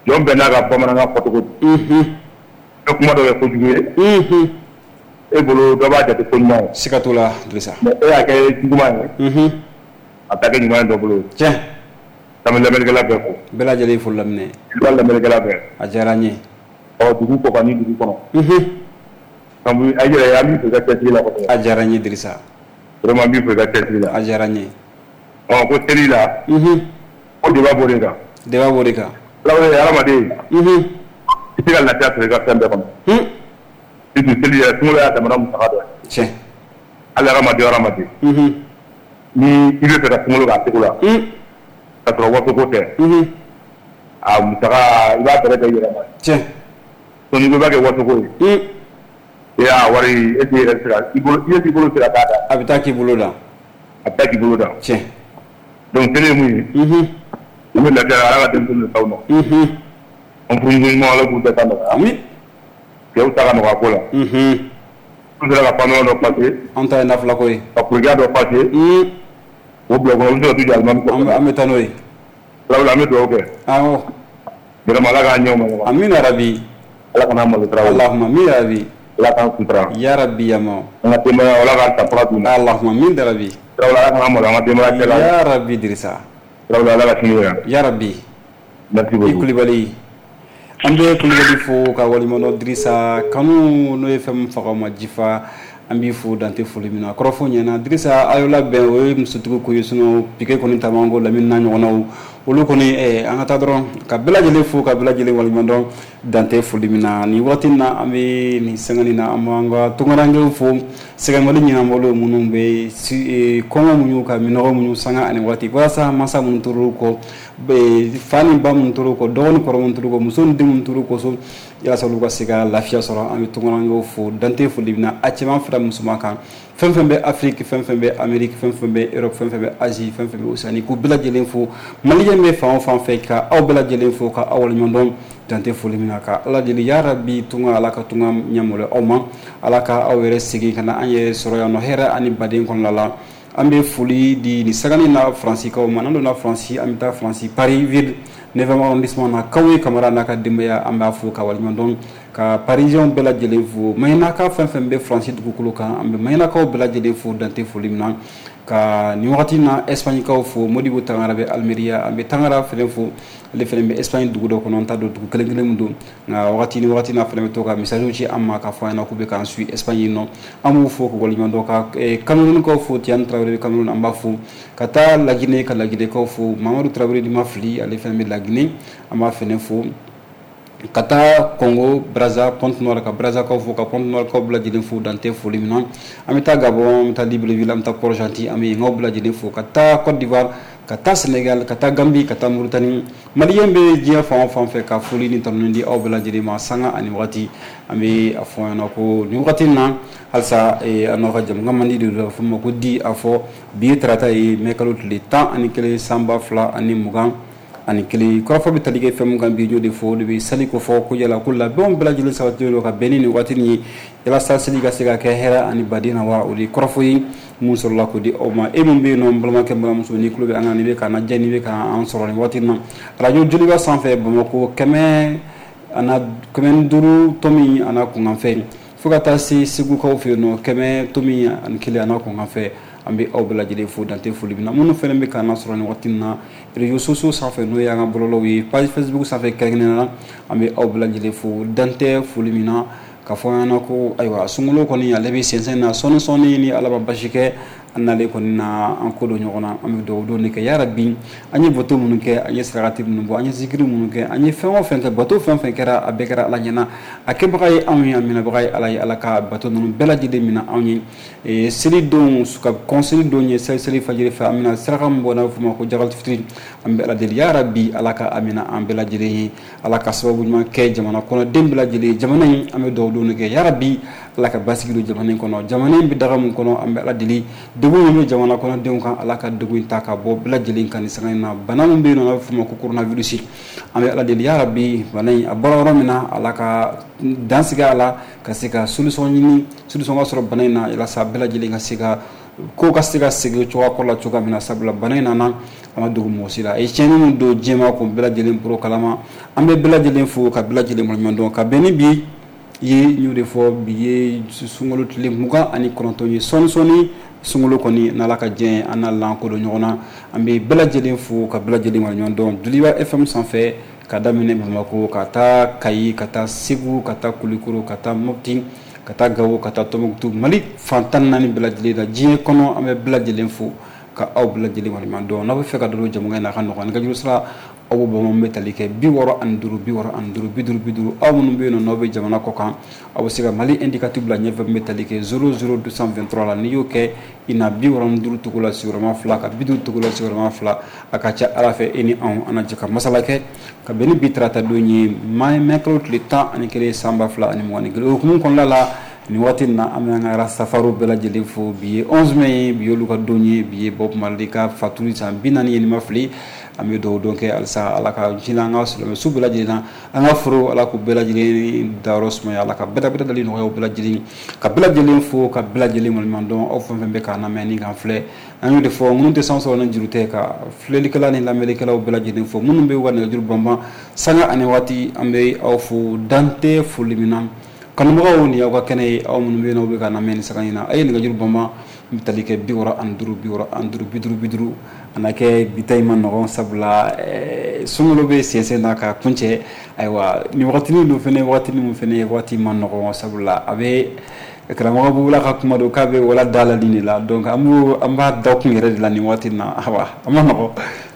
Jɔn bɛɛ n'a ka bamanankan fɔcogo don. Unhun. I bɛ kuma dɔ kɛ kojugu ye. Unhun. E bolo dɔ b'a jate ko ɲuman ye. Siga t'o la Dirisa. Mais e y'a kɛ juguman ye. Unhun. A bɛ kɛ ɲuman ye dɔ bolo. Tiɲɛ. An bɛ lamɛnnikɛla bɛɛ fo. Bɛɛ lajɛlen foli laminɛ. I b'a lamɛnnikɛla bɛɛ. A diyara n ye. Ɔ dugu kɔ kan ni dugu kɔnɔ. Unhun. An bɛ a yɛrɛ an b'i fo i ka cɛsiri la kosɛbɛ. A diyara n ye Dirisa. Vraiment n b'i fo i ka cɛsiri la. A diyara n ye. Ɔ ko seli la. Unhun. Ko débat b'o de kan. Débat b'o de kan. Tarawele hadamaden. Unhun. I tɛ se ka lafiya sɔrɔ i ka fɛn bɛɛ kɔnɔ. Un. Surtout seli yɛrɛ sunkalo y'a damana musaka dɔ ye. Tiɲɛ. Hali hadamaden o hadamaden. Unhun. Ni i bɛ fɛ ka sunkalo k'a cogo la. Un. Ka sɔrɔ waso ko tɛ. Unhun. A musaka i b'a bɛrɛ bɛn i yɛrɛ ma. Tiɲɛ. Donc n'i ko i b'a kɛ waso ko ye. Un. E y'a wari e t'i yɛrɛ se ka i bolo i bolo se ka taa da. A bɛ taa k'i bolo da. A bɛ taa k'i bolo da. Tiɲɛ. Donc seli ye mun ye. Unhun. U bɛ lafiya Ala ka denmisɛnninw t'aw ma. Unhun. An furumuso ɲuman Ala k'u bɛɛ ta nɔgɔya. Ami. Cɛw ta ka nɔgɔ a ko la. Unhun. N'u sera ka pantalon dɔ passer. An ta ye nafila ko ye. Ka kuruja dɔ passer. Un. O bila kɔnɔ u bɛ se ka t'u jɔ alimami kɔfɛ. An bɛ taa n'o ye. Tarawele an bɛ dugawu kɛ. Awɔ. Vraiment Ala k'an ɲɛ o ma ɲɔgɔn. Amina rabi. Ala kana malo Tarawele. Allahumma amin rabi. Ala k'an sutura. Ya rabbi yama. An ka denbaya Ala k'an ta fura d'u ma. Allahumma amin rabi. Tarawele Ala kana malo an ka denbaya cɛla. Ya rabbi Dirisa. Tarawele Ala ka sini wɛrɛ. Ya rabbi. Merci beaucoup. I Kulibali. An bɛ Kulibali fo ka waleɲumandɔn Dirisa kanu n'o ye fɛn min faga ma jifa an b'i fo dante foli min na kɔrɔfɔ ɲɛna Dirisa a y'o labɛn o ye musotigi ko ye sinon piqué kɔni tamango lamini n'a ɲɔgɔnnaw olu kɔni eh, an ka taa dɔrɔn ka bɛɛ lajɛlen fo ka bɛɛ lajɛlen waleɲumandɔn dante foli min na nin waati in na an bɛ nin sangani na an b'an ka tunkarankew fo sɛgɛnbali ɲinanbolo minnu bɛ si kɔngɔ muɲu ka minɔgɔ muɲu sanga ani waati walasa mansa minnu tor'u kɔ fa ni ba minnu tor'u kɔ dɔgɔnin kɔrɔ minnu tor'u kɔ muso ni den minnu tor'u kɔ so yalasa olu ka se ka lafiya sɔrɔ an bɛ tunkarankew fo dante foli min na a cɛman fara musoman kan fɛn fɛn bɛ Afrique fɛn fɛn bɛ Amérique fɛn fɛn bɛ Europe fɛn fɛn bɛ Asie fɛn fɛn bɛ Océanie k'u bɛɛ lajɛlen fo maliyɛn bɛ fan o fan fɛ ka aw bɛɛ lajɛlen fo ka aw waleɲumandɔn dante foli min na ka Ala deli ya rabi tunga Ala ka tunga ɲɛmɔgɔ aw ma Ala ka aw yɛrɛ segin ka na an yɛrɛ sɔrɔ yan nɔ hɛrɛ ani baden kɔnɔna la an bɛ foli di nin sagani na Faransikaw ma n'an donna Faransi an bɛ taa Faransi Paris ville neuvième arrondissement na Kawe Kamara n'a ka denbaya an b'a fo ka waleɲumandɔn ka Parisien bɛɛ lajɛlen fo Mahinaka fɛn fɛn bɛ Faransi dugukolo kan an bɛ Mahinakaw bɛɛ lajɛlen fo dante foli min na ka nin wagati na Espagnekaw fo Modibo Tangara bɛ Almeria an bɛ Tangara fɛnɛ fo ale fɛnɛ bɛ Espagne dugu dɔ kɔnɔ an t'a dɔn dugu kelen kelen min don nka wagati ni wagati na fɛnɛ bɛ to ka message ci an ma k'a fɔ an ɲɛna k'u bɛ k'an suit Espagne nɔ an b'u fo k'u waleɲumandɔn ka Camerounkaw fo Tiani Traoré bɛ Cameroun an b'a fo ka taa Laginɛ ka Laginɛkaw fo Mamadu Traoré ni ma fili ale fɛnɛ bɛ Laginɛ an b'a fɛnɛ fo ka taa Congo Brazza Pointe-Noire ka Brazzakaw fo ka Pointe-Noire kaw bɛɛ lajɛlen fo dante foli min na an bɛ taa Gabon an bɛ taa Libreville an bɛ taa Port-Gentil an bɛ yenkaw bɛɛ lajɛlen fo ka taa Côte d'Ivoire ka taa Sénégal ka taa Gambie ka taa Mauritanie maliyɛn bɛ diɲɛ fan o fan fɛ ka foli ni tanuni di aw bɛɛ lajɛlen ma sanga ani wagati an bɛ a fɔ ɲɛna ko nin wagati in na halisa an n'aw ka jamukan man di de don a bɛ fɔ ma ko di a fɔ bi ye tarata ye mɛ kalo tile tan ani kelen sanba fila ani mugan ani kelen kɔrɔfɔ bɛ tali kɛ fɛn min kan bi y'o de fɔ o de bɛ sali ko fɔ ko yala ko labɛnw bɛɛ lajɛlen sabatilen don ka bɛn ni nin waati nin ye yalasa seli ka se ka kɛ hɛrɛ ani baden na wa o de ye kɔrɔfɔ ye mun sɔrɔla k'o di aw ma e min bɛ yen nɔ n balimakɛ n balimamuso n'i tulo bɛ an kan n'i bɛ k'an lajɛ n'i bɛ k'an sɔrɔ nin waati in na arajo Joliba sanfɛ Bamakɔ kɛmɛ ana kɛmɛ ni duuru tomi ana kunkanfɛn fo ka taa se Segukaw fɛ yen nɔ kɛmɛ tomi ani kelen ana kunkanfɛn an bɛ aw bɛɛ lajɛlen fo dante foli min na minnu fɛnɛ bɛ k'an sɔrɔ nin waati in na réseaux sociaux sanfɛ n'o y'an ka bɔlɔlɔw ye page Facebook sanfɛ kɛrɛnkɛrɛnnenya la an bɛ aw bɛɛ lajɛlen fo dante foli min na k'a fɔ an ɲɛna ko ayiwa sunkalo kɔni ale bɛ sɛnsɛn na sɔɔni sɔɔni ni Ala ma basi kɛ an n'ale kɔni na an ko don ɲɔgɔn na an bɛ dugawu don de kɛ yarabi an ye bato minnu kɛ an ye sarakati minnu bɔ an ye zikiri minnu kɛ an ye fɛn o fɛn kɛ bato fɛn fɛn kɛra a bɛɛ kɛra Ala ɲɛna a kɛbaga ye anw ye a minɛbaga ye Ala ye Ala ka bato ninnu bɛɛ lajɛlen minɛ anw ye seli don ka kɔn seli don ye seli seli fajiri fɛ an bɛna saraka min bɔ n'a bɛ f'o ma ko jagali fitiri an bɛ Ala deli yarabi Ala ka a minɛ an bɛɛ lajɛlen ye Ala ka sababu ɲuman kɛ jamana kɔnɔden bɛɛ lajɛlen ye jamana in an bɛ dugawu don de kɛ yarabi Ala ka basigi don jamana in kɔnɔ. Jamana in bɛ daga mun kɔnɔ, an bɛ Ala deli, degun min bɛ jamana kɔnɔdenw kan, Ala ka degun in ta ka bɔ bɛɛ lajɛlen kan nin sanga in na. Bana min bɛ yen nɔ, n'a bɛ f'o ma ko coronavirus, an bɛ Ala deli, ya Rabi, bana in a bɔra yɔrɔ min na, Ala ka dan sigi a la, ka se ka solution ɲini, solution ka sɔrɔ bana in na, walasa bɛɛ lajɛlen ka se ka ko ka se ka segin cogoya kɔrɔ la cogoya min na. Sabula bana in nana, a ma dogo mɔgɔ si la, a ye tiɲɛni min don diɲɛmaa kun, bɛɛ lajɛlen bolo kalama. An bɛ bɛɛ lajɛlen fo ka bɛɛ lajɛlen waleɲuman dɔn ka bɛn ni bi ye. N y'o de fɔ, bi ye sunkalo tile mugan ani kɔnɔntɔn ye. Sɔɔni sɔɔni sunkalo kɔni, n'Ala ka diɲɛ, an n'a lankodɔn ɲɔgɔn na. An bɛ bɛɛ lajɛlen fo ka bɛɛ lajɛlen waleɲuman dɔn Joliba F M sanfɛ, ka daminɛ Bamakɔ ka taa Kayi, ka taa Segu, ka taa Kulikoro, ka taa Mopti, ka taa Gawo, ka taa Tɔnbukutu, Mali fan tan ni naani bɛɛ lajɛlen na, diɲɛ kɔnɔ, an bɛ bɛɛ lajɛlen fo ka aw bɛɛ lajɛlen waleɲuman dɔn. N'aw bɛ fɛ ka don jamukan in na, a ka nɔgɔn, nɛgɛjuru sira aw b'o bɔ bɛ tali kɛ bi wɔɔrɔ ani duuru, bi wɔɔrɔ ani duuru, bi duuru, bi duuru. Aw minnu bɛ yen nɔ, n'aw bɛ jamana kɔ kan, aw bɛ se ka Mali indicatif bila ɲɛfɛ, min bɛ tali kɛ zéro zéro deux cent vingt-trois la. N'i y'o kɛ, i na bi wɔɔrɔ ni duuru tugu la sigiyɔrɔma fila, ka bi duuru tugu la sigiyɔrɔma fila. A ka ca Ala fɛ, e ni anw, an na jɛ ka masala kɛ ka bɛn ni bi tarata don ye, mai kalo tile tan ani kelen san ba fila ani mugan ni kelen. O hukumu kɔnɔna la, nin waati in na, an bɛ an ka Rastafariw bɛɛ lajɛlen fo. Bi ye onze mai ye, bi y'olu ka don ye, bi ye Bob Marley ka fatuli san bi naani ye, ni ma fili. An bɛ dugawu don kɛ halisa, Ala ka hinɛ an ka silamɛ su bɛɛ lajɛlen na, an ka foro, Ala k'u bɛɛ lajɛlen dayɔrɔ sumaya, Ala ka bɛrɛ dali nɔgɔya u bɛɛ lajɛlen, ka bɛɛ lajɛlen fo ka bɛɛ lajɛlen waleɲuman dɔn. Aw fɛn fɛn bɛ k'an lamɛn ni k'an filɛ, an y'o de fɔ, minnu tɛ san sɔrɔ ni juru tɛ, ka filɛlikɛla ni lamɛnnikɛlaw bɛɛ lajɛlen fo, minnu bɛ u ka nɛgɛjuru banban sanga ani waati, an bɛ aw fo dan tɛ foli min na. Kanubagaw, ni aw ka kɛnɛ ye, aw minnu bɛ yen n'aw bɛ ka lamɛn ni sanga in na, a ye nɛgɛjuru banban n bɛ tali kɛ bi wɔɔrɔ ani duuru, bi wɔɔrɔ ani duuru, bi duuru, bi duuru. A na kɛ bi ta in ma nɔgɔn, sabula sunkalo bɛ sɛnsɛn na ka kuncɛ. Ayiwa, nin wagatinin dun fɛnɛ, wagatinin min fɛnɛ ye waati ma nɔgɔn, sabula a bɛ karamɔgɔ Bubula ka kuma don k'a bɛ wala da la nin de la. Donc an b'o an b'a da kun yɛrɛ de la nin waati in na. Ayiwa, a ma nɔgɔn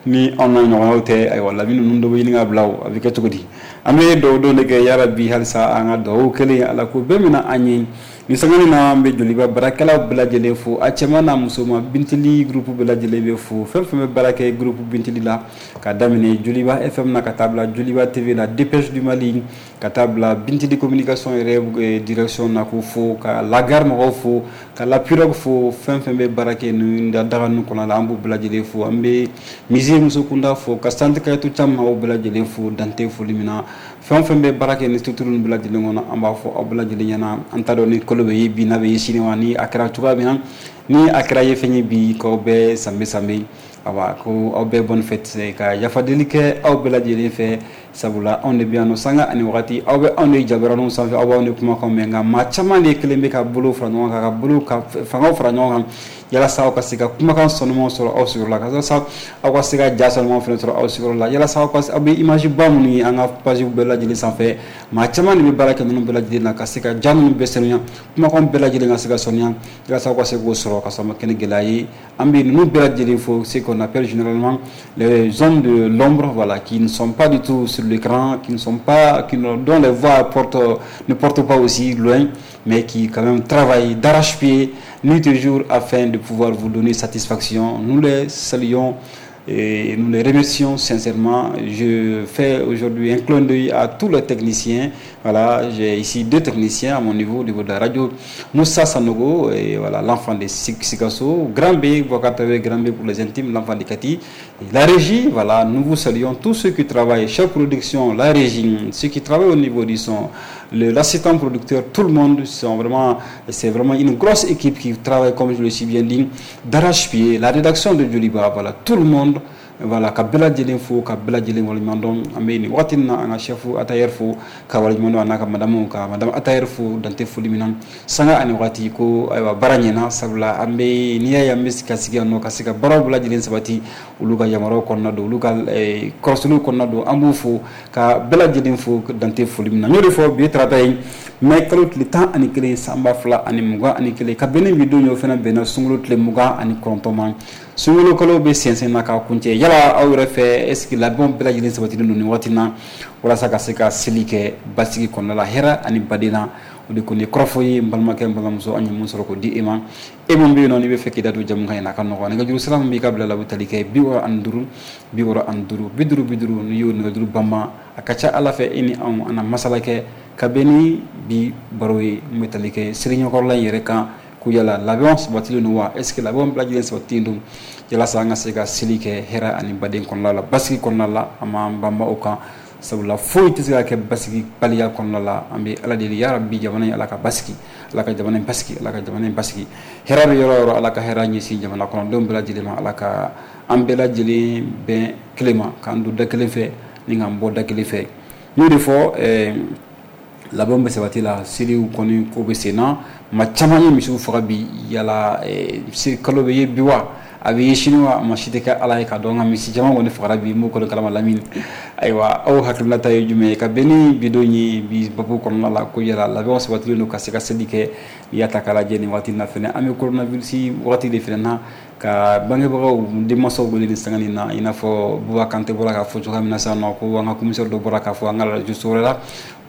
ni anw n'a ɲɔgɔnnaw tɛ. Ayiwa, Lamini ninnu dɔ bɛ ɲini ka bila o, a bɛ kɛ cogo di? An bɛ dugawu don de kɛ, yarabi, halisa an ka dugawu kɛlen, Ala ko bɛɛ minɛ an ye. Nin sanga na, an bɛ Joliba baarakɛlaw bɛɛ lajɛlen fo, a cɛman n'a musoman. Bintili groupe bɛɛ lajɛlen bɛ fo, fɛn fɛn bɛ baara kɛ groupe Bintili la, ka daminɛ Joliba F M na ka taa bila Joliba T V la, Dépêche du Mali, ka taa bila Bintili communication yɛrɛ direction na, k'o fo, ka la gare mɔgɔw fo, ka la pirogue fo, fɛn fɛn bɛ baara kɛ nin daga ninnu kɔnɔ la, an b'u bɛɛ lajɛlen fo. An bɛ musée Muso Kunda fo, ka centre Kayatu Camu aw bɛɛ lajɛlen fo dante foli min na. Fɛn fɛn bɛ baara kɛ ni structure ninnu bɛɛ lajɛlen kɔnɔ, an b'a fɔ aw bɛɛ lajɛlen ɲɛna. An t'a dɔn ni kalo bɛ ye bi, n'a bɛ ye sini wa, ni a kɛra cogoya min na, ni a kɛra ye fɛn ye bi, k'aw bɛɛ sanbe sanbe. Awa, ko aw bɛɛ bonne fête, ka yafadeli kɛ aw bɛɛ lajɛlen fɛ, sabula anw de bɛ yan nɔ sanga ani wagati. Aw bɛ anw de jabaraninw sanfɛ, aw b'anw de kumakanw mɛn, nka maa caman de kelen bɛ ka bolo fara ɲɔgɔn kan, ka bolo ka fangaw fara ɲɔgɔn kan, yalasa aw ka se ka kumakan sanumanw sɔrɔ aw sigiyɔrɔ la, ka sa aw ka se ka ja sanumanw fana sɔrɔ aw sigiyɔrɔ la, yalasa aw ka aw bɛ image ba minnu ye an ka page bɛɛ lajɛlen sanfɛ. Maa caman de bɛ baara kɛ ninnu bɛɛ lajɛlen na, ka se ka ja ninnu bɛɛ sanuya, kumakan bɛɛ lajɛlen ka se ka sanuya, yalasa aw ka se k'o sɔrɔ ka sɔrɔ a ma kɛ ni gɛlɛya ye. An bɛ ninnu bɛɛ lajɛlen fo, ce qu'on appelle généralement les hommes de l'ombre, voilà, qui ne sont pas du tout sur l'écran, qui ne sont pas, qui ne, dont les voix portent, ne portent pas aussi loin, mais qui quand même travaillent d'arrache-pied, nuit et jour, afin de pouvoir vous donner satisfaction. Nous les saluons et nous les remercions sincèrement. Je fais aujourd'hui un clin d'œil à tous les techniciens. Voilà, j'ai ici deux techniciens à mon niveau, au niveau de la radio. Moussa Sanogo, et voilà, l'enfant de Sikasso, Grand B, Grand B pour les intimes, l'enfant de Kati. Et la régie, voilà, nous vous saluons, tous ceux qui travaillent, chef production, la régie, ceux qui travaillent au niveau du son, l'assistant producteur, tout le monde, sont vraiment, c'est vraiment une grosse équipe qui travaille, comme je l'ai si bien dit, d'arrache-pied, la rédaction de Joliba, voilà, tout le monde, voilà, ka bɛɛ lajɛlen fo, ka bɛɛ lajɛlen waleɲuman dɔn. An bɛ nin waati in na, an ka chef Atayɛri fo ka waleɲuman dɔn, a n'a ka madame, ka madame Atayɛri fo dante foli min na sanga ani waati. Ko ayiwa, baara ɲɛna, sabula an bɛ n'i y'a ye an bɛ ka sigi yan nɔ ka se ka baaraw bɛɛ lajɛlen sabati, olu ka yamaruyaw kɔnɔna don, olu ka kɔlɔsiliw kɔnɔna don. An b'u fo ka bɛɛ lajɛlen fo dante foli min na. N y'o de fɔ, bi ye tarata ye, mai kalo tile tan ani kelen san ba fila ani mugan ani kelen, ka bɛn ni bi don ye, o fana bɛnna sunkalo tile mugan ani kɔnɔntɔn ma. Sunkalo kalo bɛ sɛnsɛn na k'a kuncɛ. Yala aw yɛrɛ fɛ, est ce que labɛnw bɛɛ lajɛlen sabatilen don nin waati na, walasa ka se ka seli kɛ basigi kɔnɔna la, hɛrɛ ani baden na? O de kɔni ye kɔrɔfɔ ye. N balimakɛ, n balimamuso, an ye mun sɔrɔ k'o di e ma? E mun bɛ yen nɔ, n'i bɛ fɛ k'i da don jamukan in na, a ka nɔgɔn. Nɛgɛjuru sira min b'i ka bila la, o bɛ tali kɛ bi wɔɔrɔ ani duuru, bi wɔɔrɔ ani duuru, bi duuru, bi duuru. N'i y'o nɛgɛjuru banban, a ka ca Ala fɛ, e ni anw an na masala kɛ. Ka bɛn ni bi baro ye mun bɛ tali kɛ seli ɲɛkɔrɔla in yɛrɛ kan, ko yala labɛnw sabatilen don wa? Est ce que labɛnw bɛɛ lajɛlen sabatilen don yalasa an ka se ka seli kɛ hɛrɛ ani baden kɔnɔna la, basigi kɔnɔna la? An b'an banba o kan, sabula foyi tɛ se ka kɛ basigi baliya kɔnɔna la. An bɛ Ala deli, yarabi jamana in Ala ka basigi, Ala ka jamana in basigi, Ala ka jamana in basigi. Hɛrɛ bɛ yɔrɔ o yɔrɔ, Ala ka hɛrɛ ɲɛsin jamana kɔnɔdenw bɛɛ lajɛlen ma. Ala ka an bɛɛ lajɛlen bɛn kelen ma, k'an don da kelen fɛ ni k'an bɔ da kelen fɛ. N y'o de fɔ, ɛɛ labɛnw bɛ sabati la, seliw kɔni ko bɛ sen na. Maa caman ye misiw faga bi. Yala seli kalo bɛ ye bi wa, a bɛ ye sini wa? Maa si tɛ kɛ Ala ye ka dɔn, nka misi caman kɔni fagara bi, n b'o kɔni kalama lamini. Ayiwa, aw hakilinata ye jumɛn ye ka bɛn ni bi don ye bi babu kɔnɔna la, ko yala labɛnw sabatilen don ka se ka seli kɛ? N'i y'a ta k'a lajɛ nin waati in na fɛnɛ, an bɛ coronavirus waati de fɛnɛ na, ka bangebagaw, denmansaw wele ni sanga nin na, i n'a fɔ Buba Kante bɔra k'a fɔ cogoya min na sisan nɔ, ko an ka commissaire dɔ bɔra k'a fɔ an ka radio so wɛrɛ la,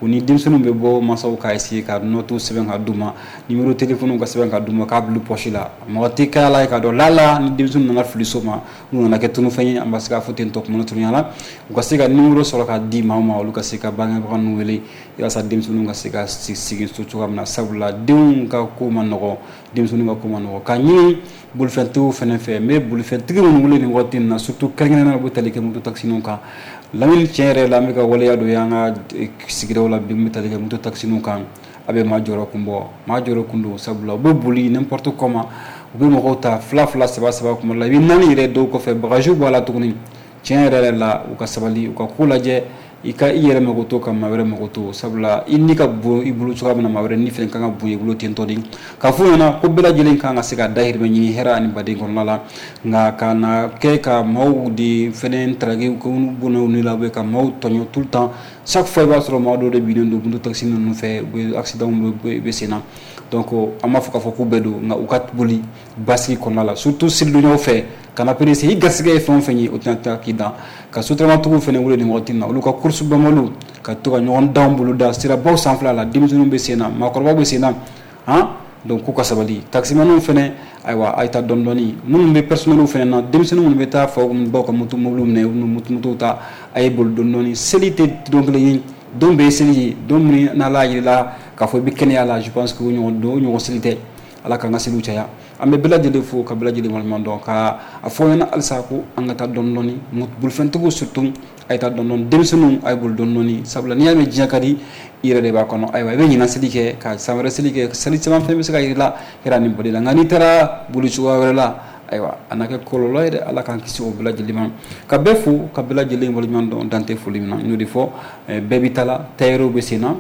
u ni denmisɛnninw bɛ bɔ, mansaw ka essayer ka note sɛbɛn ka d'u ma, numéro téléphone ka sɛbɛn ka d'u ma, k'a bila poche la. Mɔgɔ tɛ kɛ Ala ye k'a dɔn lala ni denmisɛnninw nana fili so ma, n'u nana kɛ tunufɛn ye, an bɛ se k'a fɔ ten tɔ kuma surunya la, u ka se ka numéro sɔrɔ ka di maaw ma, olu ka se ka bangebaga ninnu wele walasa denmisɛnninw ka se ka segin so cogoya min na. Sabula denw ka ko ma nɔgɔ, denmisɛnninw ka ko ma nɔgɔ. Ka ɲini bolifɛntigiw fɛnɛ fɛ, n bɛ bolifɛntigi minnu wele nin waati in na, surtout kɛrɛnkɛrɛnnenya la u bɛ tali kɛ moto taxiniw kan. Lamini, tiɲɛ yɛrɛ la, an bɛ ka waleya dɔ ye an ka sigidaw la bi mun bɛ tali kɛ moto taxiniw kan. A bɛ maa jɔyɔrɔ kun bɔ, maa jɔyɔrɔ kun don, sabula u bɛ boli n'importe comment, u bɛ mɔgɔw ta fila fila, saba saba, kuma la i bɛ naani yɛrɛ dɔw kɔfɛ, bagages b'a la tuguni. Tiɲɛ yɛrɛ yɛrɛ la, u ka sabali, u ka ko lajɛ, i ka i yɛrɛ mago to ka maa wɛrɛ mago to, sabula i ni ka bon i bolo cogoya min na, maa wɛrɛ ni fɛnɛ kan ka bon i bolo ten tɔ de. K'a f'u ɲɛna ko bɛɛ lajɛlen kan ka se ka dahirimɛ ɲini hɛrɛ ani baden kɔnɔna la, nka ka na kɛ ka maaw de fɛnɛ taraki k'u bɔnɛ u la, ka maaw tɔɲɔ tout le temps. Chaque fois i b'a sɔrɔ maa dɔw de binnen don moto taxi ninnu fɛ, u bɛ accident bɛ bɛ sen na. Donc an b'a fɔ k'a fɔ k'u bɛɛ don, nka u ka boli basigi kɔnɔna la, surtout selidonyaw fɛ, kana pressé. I garisɛgɛ ye fɛn o fɛn ye, o tɛna taa k'i dan. Ka sotaramatigiw fɛnɛ wele nin waati in na, olu ka course banbaliw ka to ka ɲɔgɔn dan bolo da sirabaw sanfɛla la, denmisɛnninw bɛ sen na, maakɔrɔbaw bɛ sen na, han. Donc k'u ka sabali. Taximaniw fɛnɛ, ayiwa, a ye taa dɔɔni dɔɔni. Minnu bɛ personnel fɛnɛ na, denmisɛnnin minnu bɛ taa faw baw ka moto mobiliw minɛ, u moto motow ta, a ye boli dɔɔni dɔɔni. Seli tɛ don kelen ye, don bɛɛ ye seli ye. Don min n'Ala y'a yir'i k'a fɔ i bɛ kɛnɛya la, je pense que o ɲɔgɔn don, o ɲɔgɔn seli tɛ. Ala k'an ka seliw caya. An bɛ bɛɛ lajɛlen fo ka bɛɛ lajɛlen waleɲuman dɔn, ka a fɔ ɲɛna halisa ko an ka taa dɔɔni dɔɔni. Bolifɛntigiw surtout, a ye taa dɔɔni dɔɔni. Denmisɛnninw, a ye boli dɔɔni dɔɔni, sabula n'i y'a mɛn diɲɛ ka di, i yɛrɛ de b'a kɔnɔ. Ayiwa, i bɛ ɲinan seli kɛ ka san wɛrɛ seli kɛ, seli caman fɛn bɛ se ka yir'i la hɛrɛ ni bɔli la, nka n'i taara boli cogoya wɛrɛ la, ayiwa, a na kɛ kɔlɔlɔ ye dɛ. Ala k'an kisi o bɛɛ lajɛlen ma. Ka bɛɛ fo ka bɛɛ lajɛlen waleɲuman dɔn, dan tɛ foli min na. N y'o de fɔ, bɛɛ b'i ta la, tailleur bɛ sen na,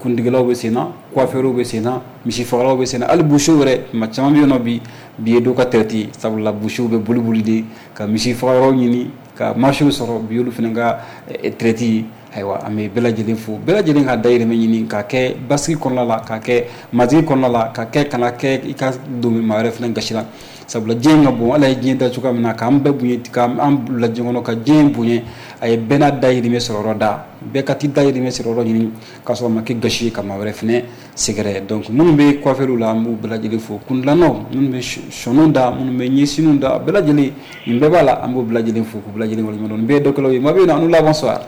kuntigɛlaw bɛ sen na, coiffeur bɛ sen na, misi fagalaw bɛ sen na, hali boucher yɛrɛ. Maa caman bɛ yen nɔ bi, bi ye dɔw ka traite ye, sabula boucher bɛ boli boli de ka misi fagayɔrɔ ɲini ka marché sɔrɔ. Bi olu fana ka traite ye. Ayiwa, an bɛ bɛɛ lajɛlen fo, bɛɛ lajɛlen ka dahirimɛ ɲini ka kɛ basigi kɔnɔna la, ka kɛ majigin kɔnɔna la, ka kɛ kana kɛ i ka don maa wɛrɛ fana gasi la, sabula diɲɛ ka bon. Ala ye diɲɛ da cogoya min na k'an bɛɛ bonya, k'an bila diɲɛ kɔnɔ ka diɲɛ bonya, a ye bɛɛ n'a dahirimɛ sɔrɔ yɔrɔ da. Bɛɛ ka t'i dahirimɛ sɔrɔ yɔrɔ ɲini k'a sɔrɔ a ma kɛ gasi ye ka maa wɛrɛ fana sɛgɛrɛ. Donc minnu bɛ coiffeur la, an b'u bɛɛ lajɛlen fo. Kundilannaw, minnu bɛ sɔniw da, minnu bɛ ɲɛsiniw da, bɛɛ lajɛlen, nin bɛɛ b'a la, an b'u bɛɛ lajɛlen fo k'u bɛɛ lajɛlen waleɲuman dɔn. Nin bɛɛ ye dɔkɛlaw ye. Maa bɛ yen nɔ, an la, bonsoir.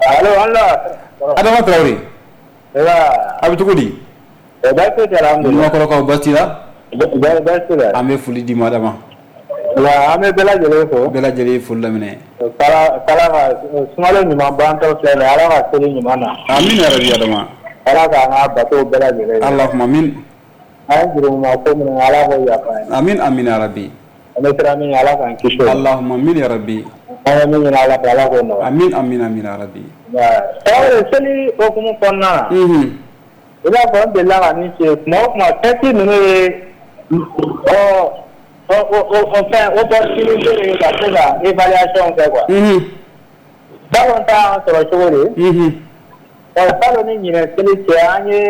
Allo, Allah. Adama Traoré. A bɛ cogo di? Baasi tɛ, alhamdulilah. Ɲamakɔrɔkaw, baasi t'i la? Baasi tɛ. An bɛ foli d'i ma, Adama. An bɛ bɛɛ lajɛlen fo. Bɛɛ lajɛlen ye foli laminɛ. Kala ka sunkalo ɲuman bantɔ filɛ nin ye, Ala ka seli ɲuman na. Amina yarabi, Adama. Ala k'an ka bato bɛɛ lajɛlen ye. Allahumma amin. An ye jurumuma ko minnu Ala k'o yafa an ye. Amin amin yarabi. An bɛ siran min ɲɛ, Ala k'an kisi o ma. Allahumma amin yarabi. An ye min ɲini Ala fɛ, Ala k'o nɔgɔya. Amin amin amin yarabi. Tarawele, seli hokumu kɔnɔna na. Unhun. I b'a fɔ n delila ka min f'i ye, tuma o tuma fɛti ninnu ye ɔ ɔ o fɛn opportunité de ye ka se ka évaluation kɛ quoi. Unhun. Salon ta y'an sɔrɔ cogo di? Unhun. Ɔ salon ni ɲinɛ seli cɛ, an ye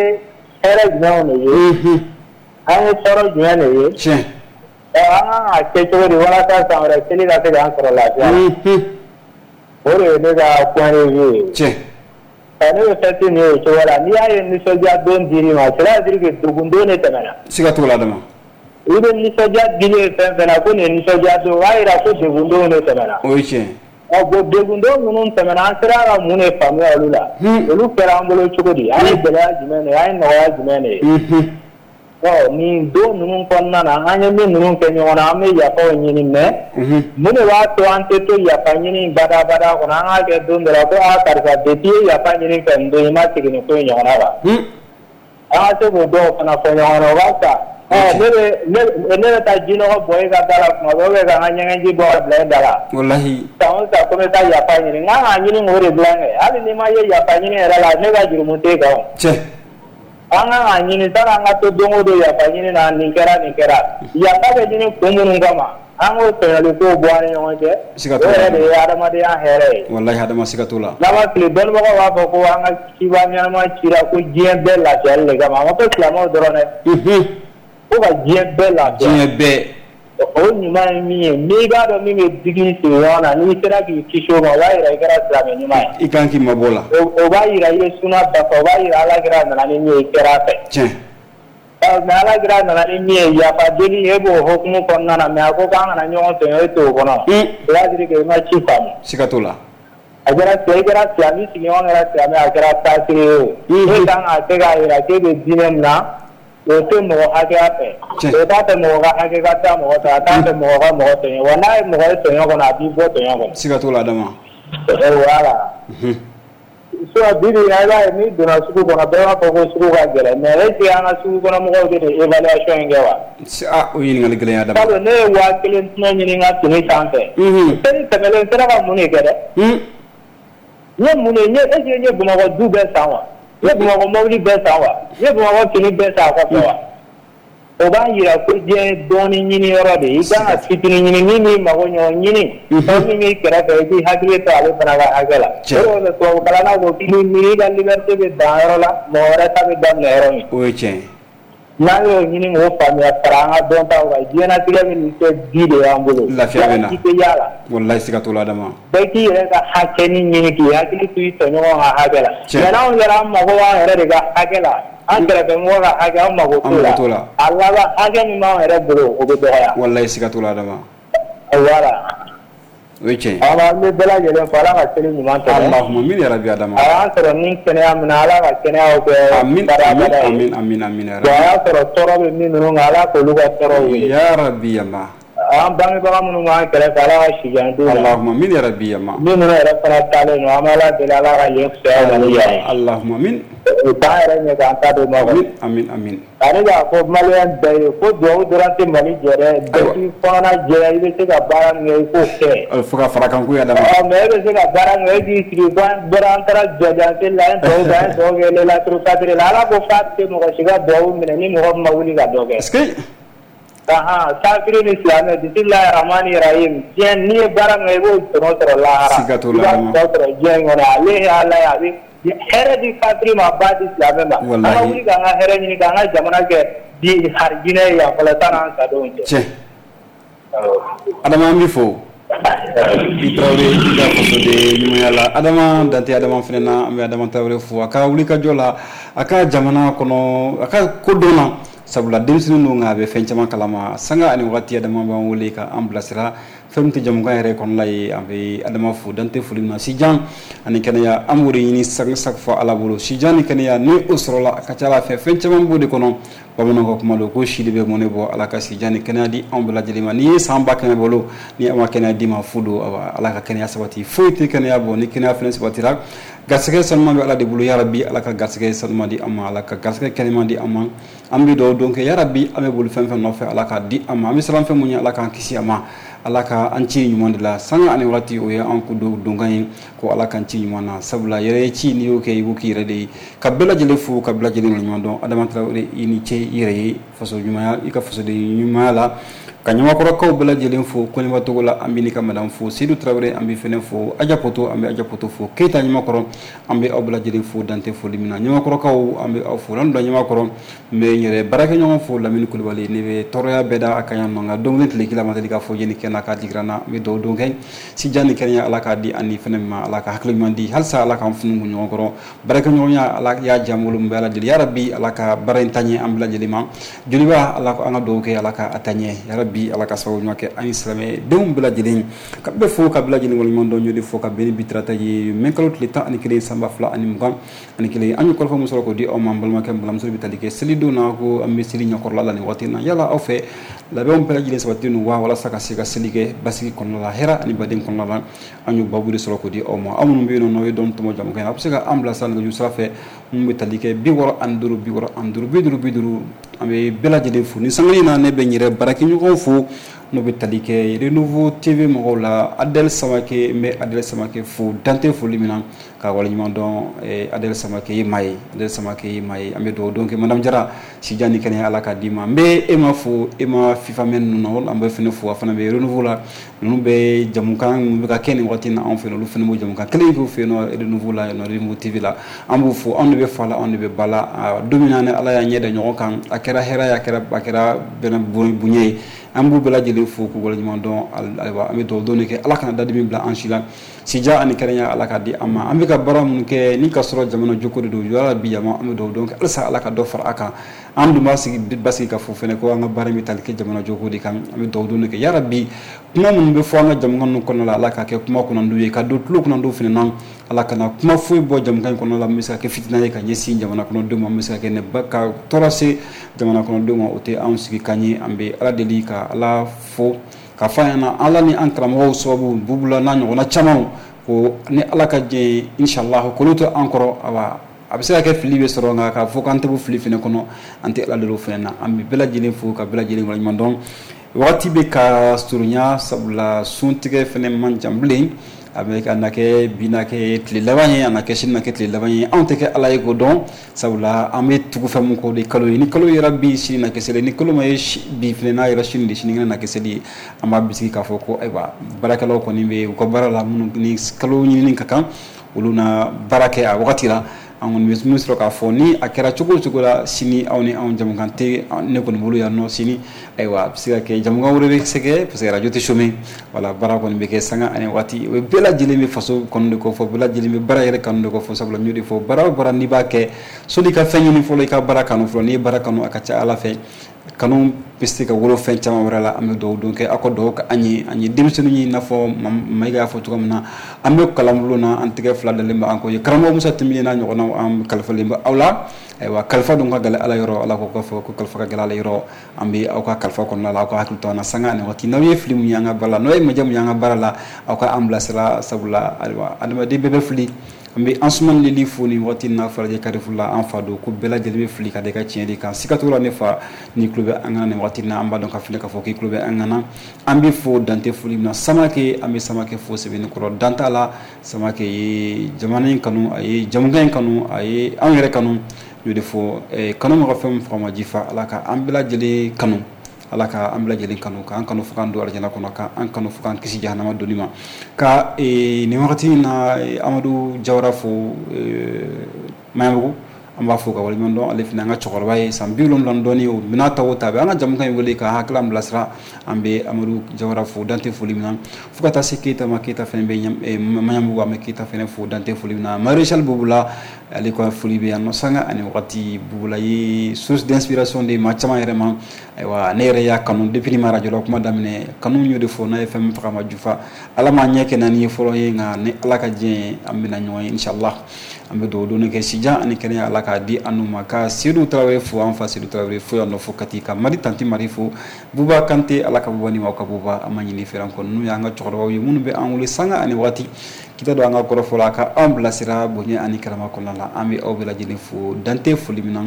hɛrɛ jumɛnw de ye? Unhun. An ye tɔɔrɔ jumɛn de ye? Tiɲɛ. Ɔ an kan ka kɛ cogo di walasa san wɛrɛ seli ka se k'an sɔrɔ lafiya la? Unhun. O de ye ne ka point de vue ye. Tiɲɛ. Ɔ ne bɛ fɛti nin ye o cogo la, n'i y'a ye nisɔndiya don dir'i ma, cela veut dire que degun don de tɛmɛna. Siga t'o la, Adama. I bɛ nisɔndiya dili ye fɛn fɛn na ko nin ye nisɔndiya don, o b'a yira ko degun don de tɛmɛna. O ye tiɲɛ. Ɔ bon degun dɔw minnu tɛmɛna an sera ka mun de faamuya olu la olu kɛra an bolo cogo di an ye gɛlɛya jumɛn de ye an ye nɔgɔya jumɛn de ye ɔ nin don ninnu kɔnɔna na an ye min ninnu kɛ ɲɔgɔn na an bɛ yafaw ɲini mais mun de b'a to an tɛ to yafa ɲini badabada kɔnɔ an k'a kɛ don dɔ la ko aa karisa depuis i ye yafa ɲini fɛ nin don i ma segin nin ko in ɲɔgɔnna kan an ka se k'o dɔw fana fɔ ɲɔgɔn na o b'a ta ɔ ne bɛ ne ne bɛ taa jinɔgɔ bɔ e ka da la tuma bɛɛ ou bien ka n ka ɲɛgɛnji bɔ ka bila e da la walahi san o san ko n bɛ taa yafa ɲini n kan k'a ɲini k'o de bila kɛ hali n'i ma ye yafa ɲini yɛrɛ la ne ka jurumu t'e kan o tiɲɛ an kan k'a ɲini sani an ka to don o don yafa ɲini na nin kɛra nin kɛra yafa bɛ ɲini kun minnu kama an k'o tɔɲɔli kow bɔ an ni ɲɔgɔn cɛ siga o t'o la yɛrɛ de ye adamadenya hɛrɛ ye walahi Adama siga t'o la n'a ma fili dɔnnibagaw b'a fɔ ko an ka ciba ɲɛnama cira ko diɲɛ bɛɛ lafiyali de kama a ma fɔ silamɛw dɔrɔn dɛ ko ka diɲɛ bɛɛ lafiya diɲɛ bɛɛ o ɲuman ye min ye n'i b'a dɔn min bɛ digi sigiɲɔgɔn na n'i sera k'i kisi o ma o b'a yira i kɛra silamɛ ɲuman ye i kan k'i mabɔ la o b'a yira i ye suna dafa o b'a yira Ala kira nana ni min ye i kɛra a fɛ tiɲɛ mais Ala kira nana ni min ye yafa deli e b'o hokumu kɔnɔna na mais a ko k'an kana ɲɔgɔn tɔɲɔ e t'o kɔnɔ o b'a dire que i ma ci faamu siga t'o la a kɛra i kɛra silamɛ i sigiɲɔgɔn kɛra silamɛ a kɛra kafiri ye o e kan k'a kɛ k'a yira k'e bɛ diinɛ min na o tɛ mɔgɔ hakɛya fɛ o t'a fɛ mɔgɔ ka hakɛ ka taa mɔgɔ ta a t'a fɛ mɔgɔ ka mɔgɔ tɔɲɔ wa n'a ye mɔgɔ ye tɔɲɔ kɔnɔ a b'i bɔ tɔɲɔ kɔnɔ siga t'o la Adama voilà sinon bi bi in na i b'a ye n'i donna sugu kɔnɔ bɛɛ b'a fɔ ko sugu ka gɛlɛn mais est ce que an ka sugu kɔnɔ mɔgɔw bɛ nin évaluation in kɛ wa ah o ɲininkali gɛlɛn ye Adama sabu ne ye waa kelen tɔnɔ ɲini n ka fini sanfɛ seli tɛmɛnen n sera ka mun de kɛ dɛ n ye mun de n ye est ce que n ye Bamakɔ du bɛɛ san wa n ye Bamakɔ mobili bɛɛ san wa n ye Bamakɔ fini bɛɛ san a kɔfɛ wa o b'a yira ko diɲɛ ye dɔɔni ɲini yɔrɔ de ye i kan ka fitinin ɲini min b'i mago ɲɔ ɲini fɛn min b'i kɛrɛfɛ i k'i hakili to ale fana ka hakɛ la o de tubabu kalanna ko k'i miiri i ka liberté bɛ dan yɔrɔ la mɔgɔ wɛrɛ ta bɛ daminɛ yɔrɔ min o ye tiɲɛ ye n'an y'o ɲini k'o faamuya fara an ka dɔntaw kan diɲɛlatigɛ bɛ nin kɛ di de y'an bolo lafiya bɛ na i tɛ yaala walahi siga t'o la Adama bɛɛ k'i yɛrɛ ka hakɛnin ɲini k'i hakili to i tɔɲɔgɔn ka hakɛ la mais n'anw yɛrɛ an mago b'an yɛrɛ de ka hakɛ la an kɛrɛfɛmɔgɔ ka hakɛ an mago t'o la a laban hakɛ min b'an yɛrɛ bolo o bɛ dɔgɔya walahi siga t'o la Adama voilà o ye tiɲɛ ye an bɛ bɛɛ lajɛlen fo Ala ka seli ɲuman tɛmɛ Allahumma amin ya rabbi Adama a y'an sɔrɔ ni kɛnɛya min na Ala ka kɛnɛyaw kɛ amin amin amin amin amin ya rabbi a y'a sɔrɔ tɔɔrɔ bɛ min ninnu kan Ala k'olu ka tɔɔrɔ wuli ya rabbi yallah an bangebaga minnu b'an kɛrɛfɛ Ala ka si jan d'u ma Allahumma amin ya rabbi yallah min ninnu yɛrɛ fana taalen don an bɛ Ala deli Ala ka yen fisaya ma ni yan ye Allahumma amin u t'an yɛrɛ ɲɛ k'an ta d'u ma amin amin amin ani k'a fɔ maliyɛn bɛɛ ye ko duwawu dɔrɔn tɛ Mali jɔ dɛ bɛɛ k'i kɔnɔna jɛya i bɛ se ka baara min kɛ i k'o kɛ fo ka fara kan ko ya Adama ɔ mais e bɛ se ka baara min kɛ e k'i sigi ko an bɔra an taara jɔjan la an ye duwawu kɛ an ye duwawu kɛ laylatul kadiri la Ala ko k'a tɛ mɔgɔ si ka duwawu minɛ ni mɔgɔ min ma wuli ka dɔ kɛ est-ce que ahan kafiri ni silamɛ bisimilahi rahmani rahim diɲɛ n'i ye baara min kɛ i b'o tɔnɔ sɔrɔ lahara siga t'o la i b'a tɔnɔ sɔrɔ diɲɛ in kɔnɔ ale ye Ala ye a bɛ hɛrɛ di kafiri ma ba di silamɛ ma an ka wuli k'an ka hɛrɛ ɲini k'an ka jamana kɛ di harijinɛ ye yan fɔlɔ sanni an sadon cɛ tiɲɛ Adama an b'i fo i Tarawele i ka fasoden ɲumanya la Adama Dante Adama fana na an bɛ Adama Tarawele fo a ka wulikajɔ la a ka jamana kɔnɔ a ka ko dɔn na sabula denmisɛnnin don nka a bɛ fɛn caman kalama sanga ani wagati Adama b'an wele ka an bilasira fɛn min tɛ jamukan yɛrɛ kɔnɔna ye an bɛ Adama fo dante foli min na sijan ani kɛnɛya an b'o de ɲini chaque fois Ala bolo sijan ni kɛnɛya ni o sɔrɔla a ka ca Ala fɛ fɛn caman b'o de kɔnɔ bamananw ka kuma don ko si de bɛ mɔnɛ bɔ Ala ka sijan ni kɛnɛya di anw bɛɛ lajɛlen ma n'i ye san ba kɛmɛ bolo ni a ma kɛnɛya d'i ma fu don Ala ka kɛnɛya sabati foyi tɛ kɛnɛya bɔ ni kɛnɛya fɛnɛ sabatira garisɛgɛ sanuman bɛ Ala de bolo yarabi Ala ka garisɛgɛ sanuman di an ma Ala ka garisɛgɛ kɛnɛman di an ma an bɛ dugawu don kɛ yarabi an bɛ boli fɛn fɛn nɔfɛ Ala k'a di an ma an bɛ siran fɛn mun ɲɛ Ala k'an kisi a ma Ala ka an ci ɲuman de la sanga ani waati o ye an ko donkan ye ko Ala k'an ci ɲuman na sabula yɛrɛ ye ci n'i y'o kɛ i b'o k'i yɛrɛ de ye ka bɛɛ lajɛlen fo ka bɛɛ lajɛlen ɲuman dɔn Adama Tarawele i ni ce i yɛrɛ ye faso ɲumanya i ka fasoden ɲumanya la ka ɲamakɔrɔkaw bɛɛ lajɛlen fo Kɔniba Togo la an bɛ n'i ka madame fo Seydou Tarawele an bɛ fɛnɛ fo Aja Poto an bɛ Aja Poto fo Keyita ɲamakɔrɔ an bɛ aw bɛɛ lajɛlen fo dante foli min na ɲamakɔrɔkaw an bɛ aw fo n'an don ɲamakɔrɔ n bɛ n yɛrɛ baarakɛɲɔgɔn fo Lamini Kulibali ne bɛ tɔɔrɔya bɛɛ da a kan yan nɔ nka don kelen tile kelen ma deli k'a fɔ jeni kɛnɛ k'a digira n na n bɛ dugawu don kɛ sijan ni kɛnɛya Ala k'a di ani fɛnɛ ma Ala ka hakili ɲuman di halisa Ala k'an funu ɲɔgɔn kɔrɔ baarakɛɲɔgɔnya Ala y'a diya n bolo n bɛ Ala deli yarabi Ala ka baara in taa ɲɛ an bɛɛ lajɛlen ma joliba Ala an ka dugawu kɛ Ala ka a taa ɲɛ yarabi yarabi Ala ka sababu ɲuman kɛ an ni silamɛ denw bɛɛ lajɛlen ka bɛɛ fo ka bɛɛ lajɛlen waleɲuman dɔn. Y'o de fɔ ka bɛn ni bi tarata ye mai kalo tile tan ani kelen san ba fila ani mugan ani kelen. An ye kɔrɔfɔ min sɔrɔ k'o di aw ma, an balimakɛ n balimamuso bɛ tali kɛ selidenw na, ko an bɛ seli ɲɛkɔrɔla la nin waati in na. Yala aw fɛ labɛnw bɛɛ lajɛlen sabatilen don wa, walasa ka se ka seli kɛ basigi kɔnɔna la, hɛrɛ ani baden kɔnɔna la? An y'o babu de sɔrɔ k'o di aw ma. Aw minnu bɛ yen nɔ n'aw ye dɔn tɔmɔ jamu kɛ, a bɛ se ka an bila sira nɛgɛjuru sira fɛ mun bɛ tali kɛ bi wɔɔrɔ ani duuru bi wɔɔrɔ ani duuru bi duuru bi duuru. An bɛ bɛɛ lajɛlen fo ni sanga in na. Ne bɛ n yɛrɛ baarakɛɲɔgɔnw fo n'o bɛ tali kɛ Renouveau T V mɔgɔw la. Adel Samake, n bɛ Adel Samake fo dante foli min na ka waleɲuman dɔn. Adel Samake ye maa ye, Adel Samake ye maa ye. An bɛ dugawu don kɛ Madame Jara, sijan ni kɛnɛya Ala k'a d'i ma. N bɛ e ma fo, e ma FIFA mɛn ninnu na, an bɛ fɛnɛ fo, a fana bɛ Renouveau la. Ninnu bɛ jamukan minnu bɛ ka kɛ nin waati in na anw fɛ, olu fɛnɛ b'o jamukan kelen k'u fɛ yen nɔ Renouveau la, Renouveau T V la. An b'u fo, anw de bɛ fa la, anw de bɛ ba la. Don min na ni Ala y'a ɲɛ da ɲɔgɔn kan, a kɛra hɛrɛ ye, a kɛra a kɛra bɛnɛ bonya ye. An b'u bɛɛ lajɛlen fo k'u waleɲuman dɔn. Ayiwa, an bɛ dugawu don de kɛ, Ala kana dadimi bila an si la, sija ani kɛnɛya Ala k'a di an ma. An bɛ ka baara minnu kɛ ni ka sɔrɔ jamana joko de don, yala bi jama, an bɛ dugawu don kɛ halisa Ala ka dɔ fara a kan. An dun b'a sigi basigi ka fɔ fɛnɛ ko an ka baara in bɛ tali kɛ jamana joko de kan. An bɛ dugawu don de kɛ yarabi kuma minnu bɛ fɔ an ka jamukan ninnu kɔnɔna la, Ala k'a kɛ kuma kunnandiw ye ka don tulo kunnandiw fɛnɛ na. Ala kana kuma foyi bɔ jamukan in kɔnɔna la min bɛ se ka kɛ fitina ye ka ɲɛsin jamana kɔnɔdenw ma, min bɛ se ka kɛ ne ba ka tɔɔrɔ se jamana kɔnɔdenw ma, o tɛ anw sigi kan ye. An bɛ Ala deli ka Ala fo ka fɔ an ɲɛna, Ala ni an karamɔgɔw sababu Bubula n'a ɲɔgɔnna camanw, ko ni Ala ka diɲɛ ye inshallah k'olu to an kɔrɔ. Awa, a bɛ se ka kɛ fili bɛ sɔrɔ, nka k'a fɔ k'an tɛ bɔ fili fɛnɛ kɔnɔ, an tɛ Ala deli o fɛnɛ na. An bɛ bɛɛ lajɛlen fo ka bɛɛ lajɛlen waleɲuman dɔn. Wagati bɛ ka surunya, sabula suntigɛ fɛnɛ man jan bilen. A bɛ ka na kɛ bi na kɛ tile laban ye, a na kɛ sini na kɛ tile laban ye. Anw tɛ kɛ Ala ye k'o dɔn, sabula an bɛ tugu fɛn mun kɔ de kalo ye. Ni kalo yɛrɛ bi sini na kɛ seli, ni kalo ma ye bi fɛnɛ n'a yɛrɛ sini de, sinikɛnɛ na kɛ seli ye. An b'a bisigi k'a fɔ ko ayiwa, baarakɛlaw kɔni bɛ u ka baara la, minnu ni kalo ɲinini ka kan, olu na baara kɛ a wagati la. An kɔni bɛ min sɔrɔ k'a fɔ, ni a kɛra cogo o cogo la, sini aw ni anw jamukan tɛ ne kɔni bolo yan nɔ sini. Ayiwa, a bɛ se ka kɛ jamukan wɛrɛ bɛ se kɛ, parce que radio tɛ chômer. Wala baara kɔni bɛ kɛ sanga ani waati. O bɛɛ lajɛlen bɛ faso kɔnɔ de kɔ fɔ, bɛɛ lajɛlen bɛ baara yɛrɛ kanu de kɔ fɔ. Sabula n y'o de fɔ, baara o baara n'i b'a kɛ, sɔnni ka fɛn ɲini fɔlɔ, i ka baara kanu fɔlɔ. N'i ye baara kanu, a ka ca Ala fɛ kanu bɛ se ka wolo fɛn caman wɛrɛ la. An bɛ dugawu don kɛ aw ka dugawu kɛ an ye, an ye denmisɛnninw ye, i n'a fɔ Mayiga y'a fɔ cogo min na, an bɛ kalanbulon na, an tɛgɛ fila dalen bɛ an kɔ ye. Karamɔgɔ Musa Tɛnbile n'a ɲɔgɔnnaw, an kalifalen bɛ aw la. Ayiwa, kalifa dun ka gɛlɛn Ala yɔrɔ, Ala ko k'a fɔ ko kalifa ka gɛlɛn Ala yɔrɔ. An bɛ aw ka kalifa kɔnɔna la, aw ka hakili to an na sanga ani waati. N'aw ye fili mun ye an ka baara la, n'aw ye majɛ mun ye an ka baara la, aw ka an bilasira, sabula ayiwa, adamaden bɛɛ bɛ fili. An bɛ Ansuman Lili fo nin waati in na Falajɛ Carrefour la. An fa don ko bɛɛ lajɛlen bɛ fili ka da i ka tiɲɛ de kan. Siga t'o la, ne fa, n'i tulo bɛ an kan nin waati in na, an b'a dɔn ka fili k'a fɔ k'i tulo bɛ an kan na. An bɛ fo dante foli min na. Samake, an bɛ Samake fo sɛbɛnni kɔrɔ dan t'a la. Samake ye jamana in kanu, a ye jamukan in kanu, a ye anw yɛrɛ kanu. N y'o de fɔ, kanu ma ka fɛn min faga ma ji fa. Ala ka an bɛɛ lajɛlen kanu, Ala ka an bɛɛ lajɛlen kanu, k'an kanu fo k'an don alijana kɔnɔ, k'an kanu fo k'an kisi jahanama donni ma. Ka nin wagati in na Amadu Jawara fo Maɲanbugu, an b'a fo ka waleɲuman dɔn. Ale fana an ka cɛkɔrɔba ye, san bi wolonwula ni dɔɔnin, o bɛna ta o ta, a bɛ an ka jamukan in wele ka hakili bilasira. An bɛ Amadu Jawara fo dante foli min na, fo ka taa se Keyita ma. Keyita fana bɛ Maɲanbugu, an bɛ Keyita fana fo dante foli min na. Maréchal Bubula, ale ka foli bɛ yan nɔ sanga ani wagati. Bubula ye source d'inspiration de maa caman yɛrɛ ma. Ayiwa, ne yɛrɛ y'a kanu depuis ni ma radio la kuma daminɛ, kanu y'o de fɔ, n'a ye fɛn min faga ma jufa. Ala m'a ɲɛ kɛ naani ye fɔlɔ ye, nka ni Ala ka diɲɛ ye, an bɛna ɲɔgɔn ye inshallah. An bɛ dugawu don kɛ sijan ani kɛnɛya Ala k'a di an n'u ma. Ka Seydou Tarawele fo, an fa Seydou Tarawele fo yan nɔ fo Kati. Ka Mari tanti Mari fo, Buba Kante, Ala ka Buba ni aw ka Buba, an ma ɲini fɛ an kɔ. Ninnu y'an ka cɛkɔrɔbaw ye minnu bɛ an wele sanga ani waati kita don an ka kɔrɔfɔ la, ka anw bilasira bonya ani karama kɔnɔna la. An bɛ aw bɛɛ lajɛlen fo dante foli min na.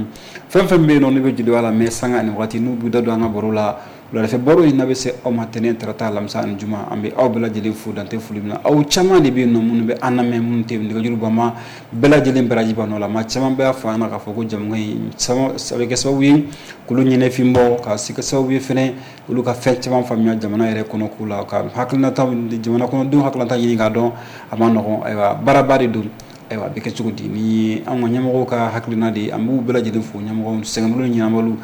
Fɛn fɛn bɛ yen nɔ, ne bɛ jeliya la mɛ sanga ani waati, n'u b'u da don an ka baro la wuladafɛ baro in, n'a bɛ se aw ma tɛnɛn, tarata, alamisa ani juma. An bɛ aw bɛɛ lajɛlen fo dante foli min na. Aw caman de bɛ yen nɔ minnu bɛ an lamɛn, minnu tɛ nɛgɛjuru banma, bɛɛ lajɛlen baraji b'a nɔ la. Maa caman bɛ fɔ an ɲɛna k'a fɔ ko jamukan in a bɛ kɛ sababu ye k'olu ɲɛnɛfin bɔ, ka se kɛ sababu ye fɛnɛ olu ka fɛn caman faamuya jamana yɛrɛ kɔnɔ ko la, ka hakilinata jamana kɔnɔdenw hakilinata ɲini k'a dɔn. A ma nɔgɔn, ayiwa, baaraba de don. Ayiwa, a bɛ kɛ cogo di ni anw ka ɲɛmɔgɔw ka hakilina de ye? An b'u bɛɛ lajɛlen fo, ɲɛmɔgɔw sɛgɛnbolo ɲɛnabolo,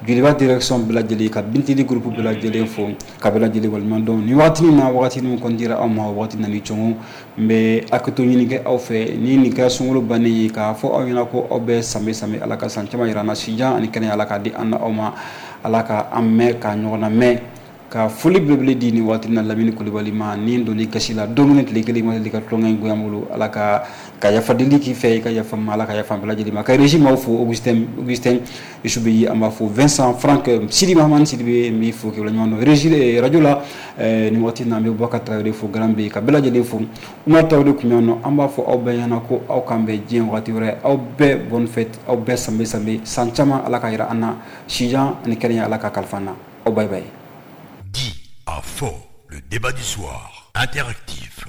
Joliba direction bɛɛ lajɛlen, ka Bintili groupe bɛɛ lajɛlen fo, ka bɛɛ lajɛlen waleɲuman dɔn nin waati in na. Waati min kɔni dira aw ma, waati nana cɔngɔ, n bɛ hakɛto ɲini kɛ aw fɛ ni nin kɛra sunkalo bannen ye, k'a fɔ aw ɲɛna ko aw bɛɛ sanbɛ sanbɛ, Ala ka san caman yira an na, sijan ani kɛnɛya Ala k'a di an na aw ma, Ala ka an mɛn ka ɲɔgɔn na mɛn. Ka foli belebele di nin waati na Lamini Kulibali ma ni donni gasi la don kelen tile kelen ma deli ka tulonkɛ in goya n bolo. Ala ka ka yafa deli k'i fɛ, i ka yafa ma, Ala ka yafa bɛɛ lajɛlen ma. Ka régie maaw fo, Augustin Augustin Isubeyi an b'a fo, Vincent Franck Sidi Mahamani Sidibe n b'i fo k'i waleɲuman dɔn. Régie radio la nin waati in na, an bɛ Bubakar Tarawele fo, Garan bɛ ka bɛɛ lajɛlen fo. Umar Tarawele tun bɛ yan nɔ, an b'a fɔ aw bɛɛ ɲɛna ko aw k'an bɛn diɲɛ waati wɛrɛ. Aw bɛɛ bonne fête, aw bɛɛ sanbe sanbe, san caman Ala ka yira an na, sijan ani kɛnɛya Ala ka kalifa an na. Aw bye bye. Dit à fort, le débat du soir, interactif.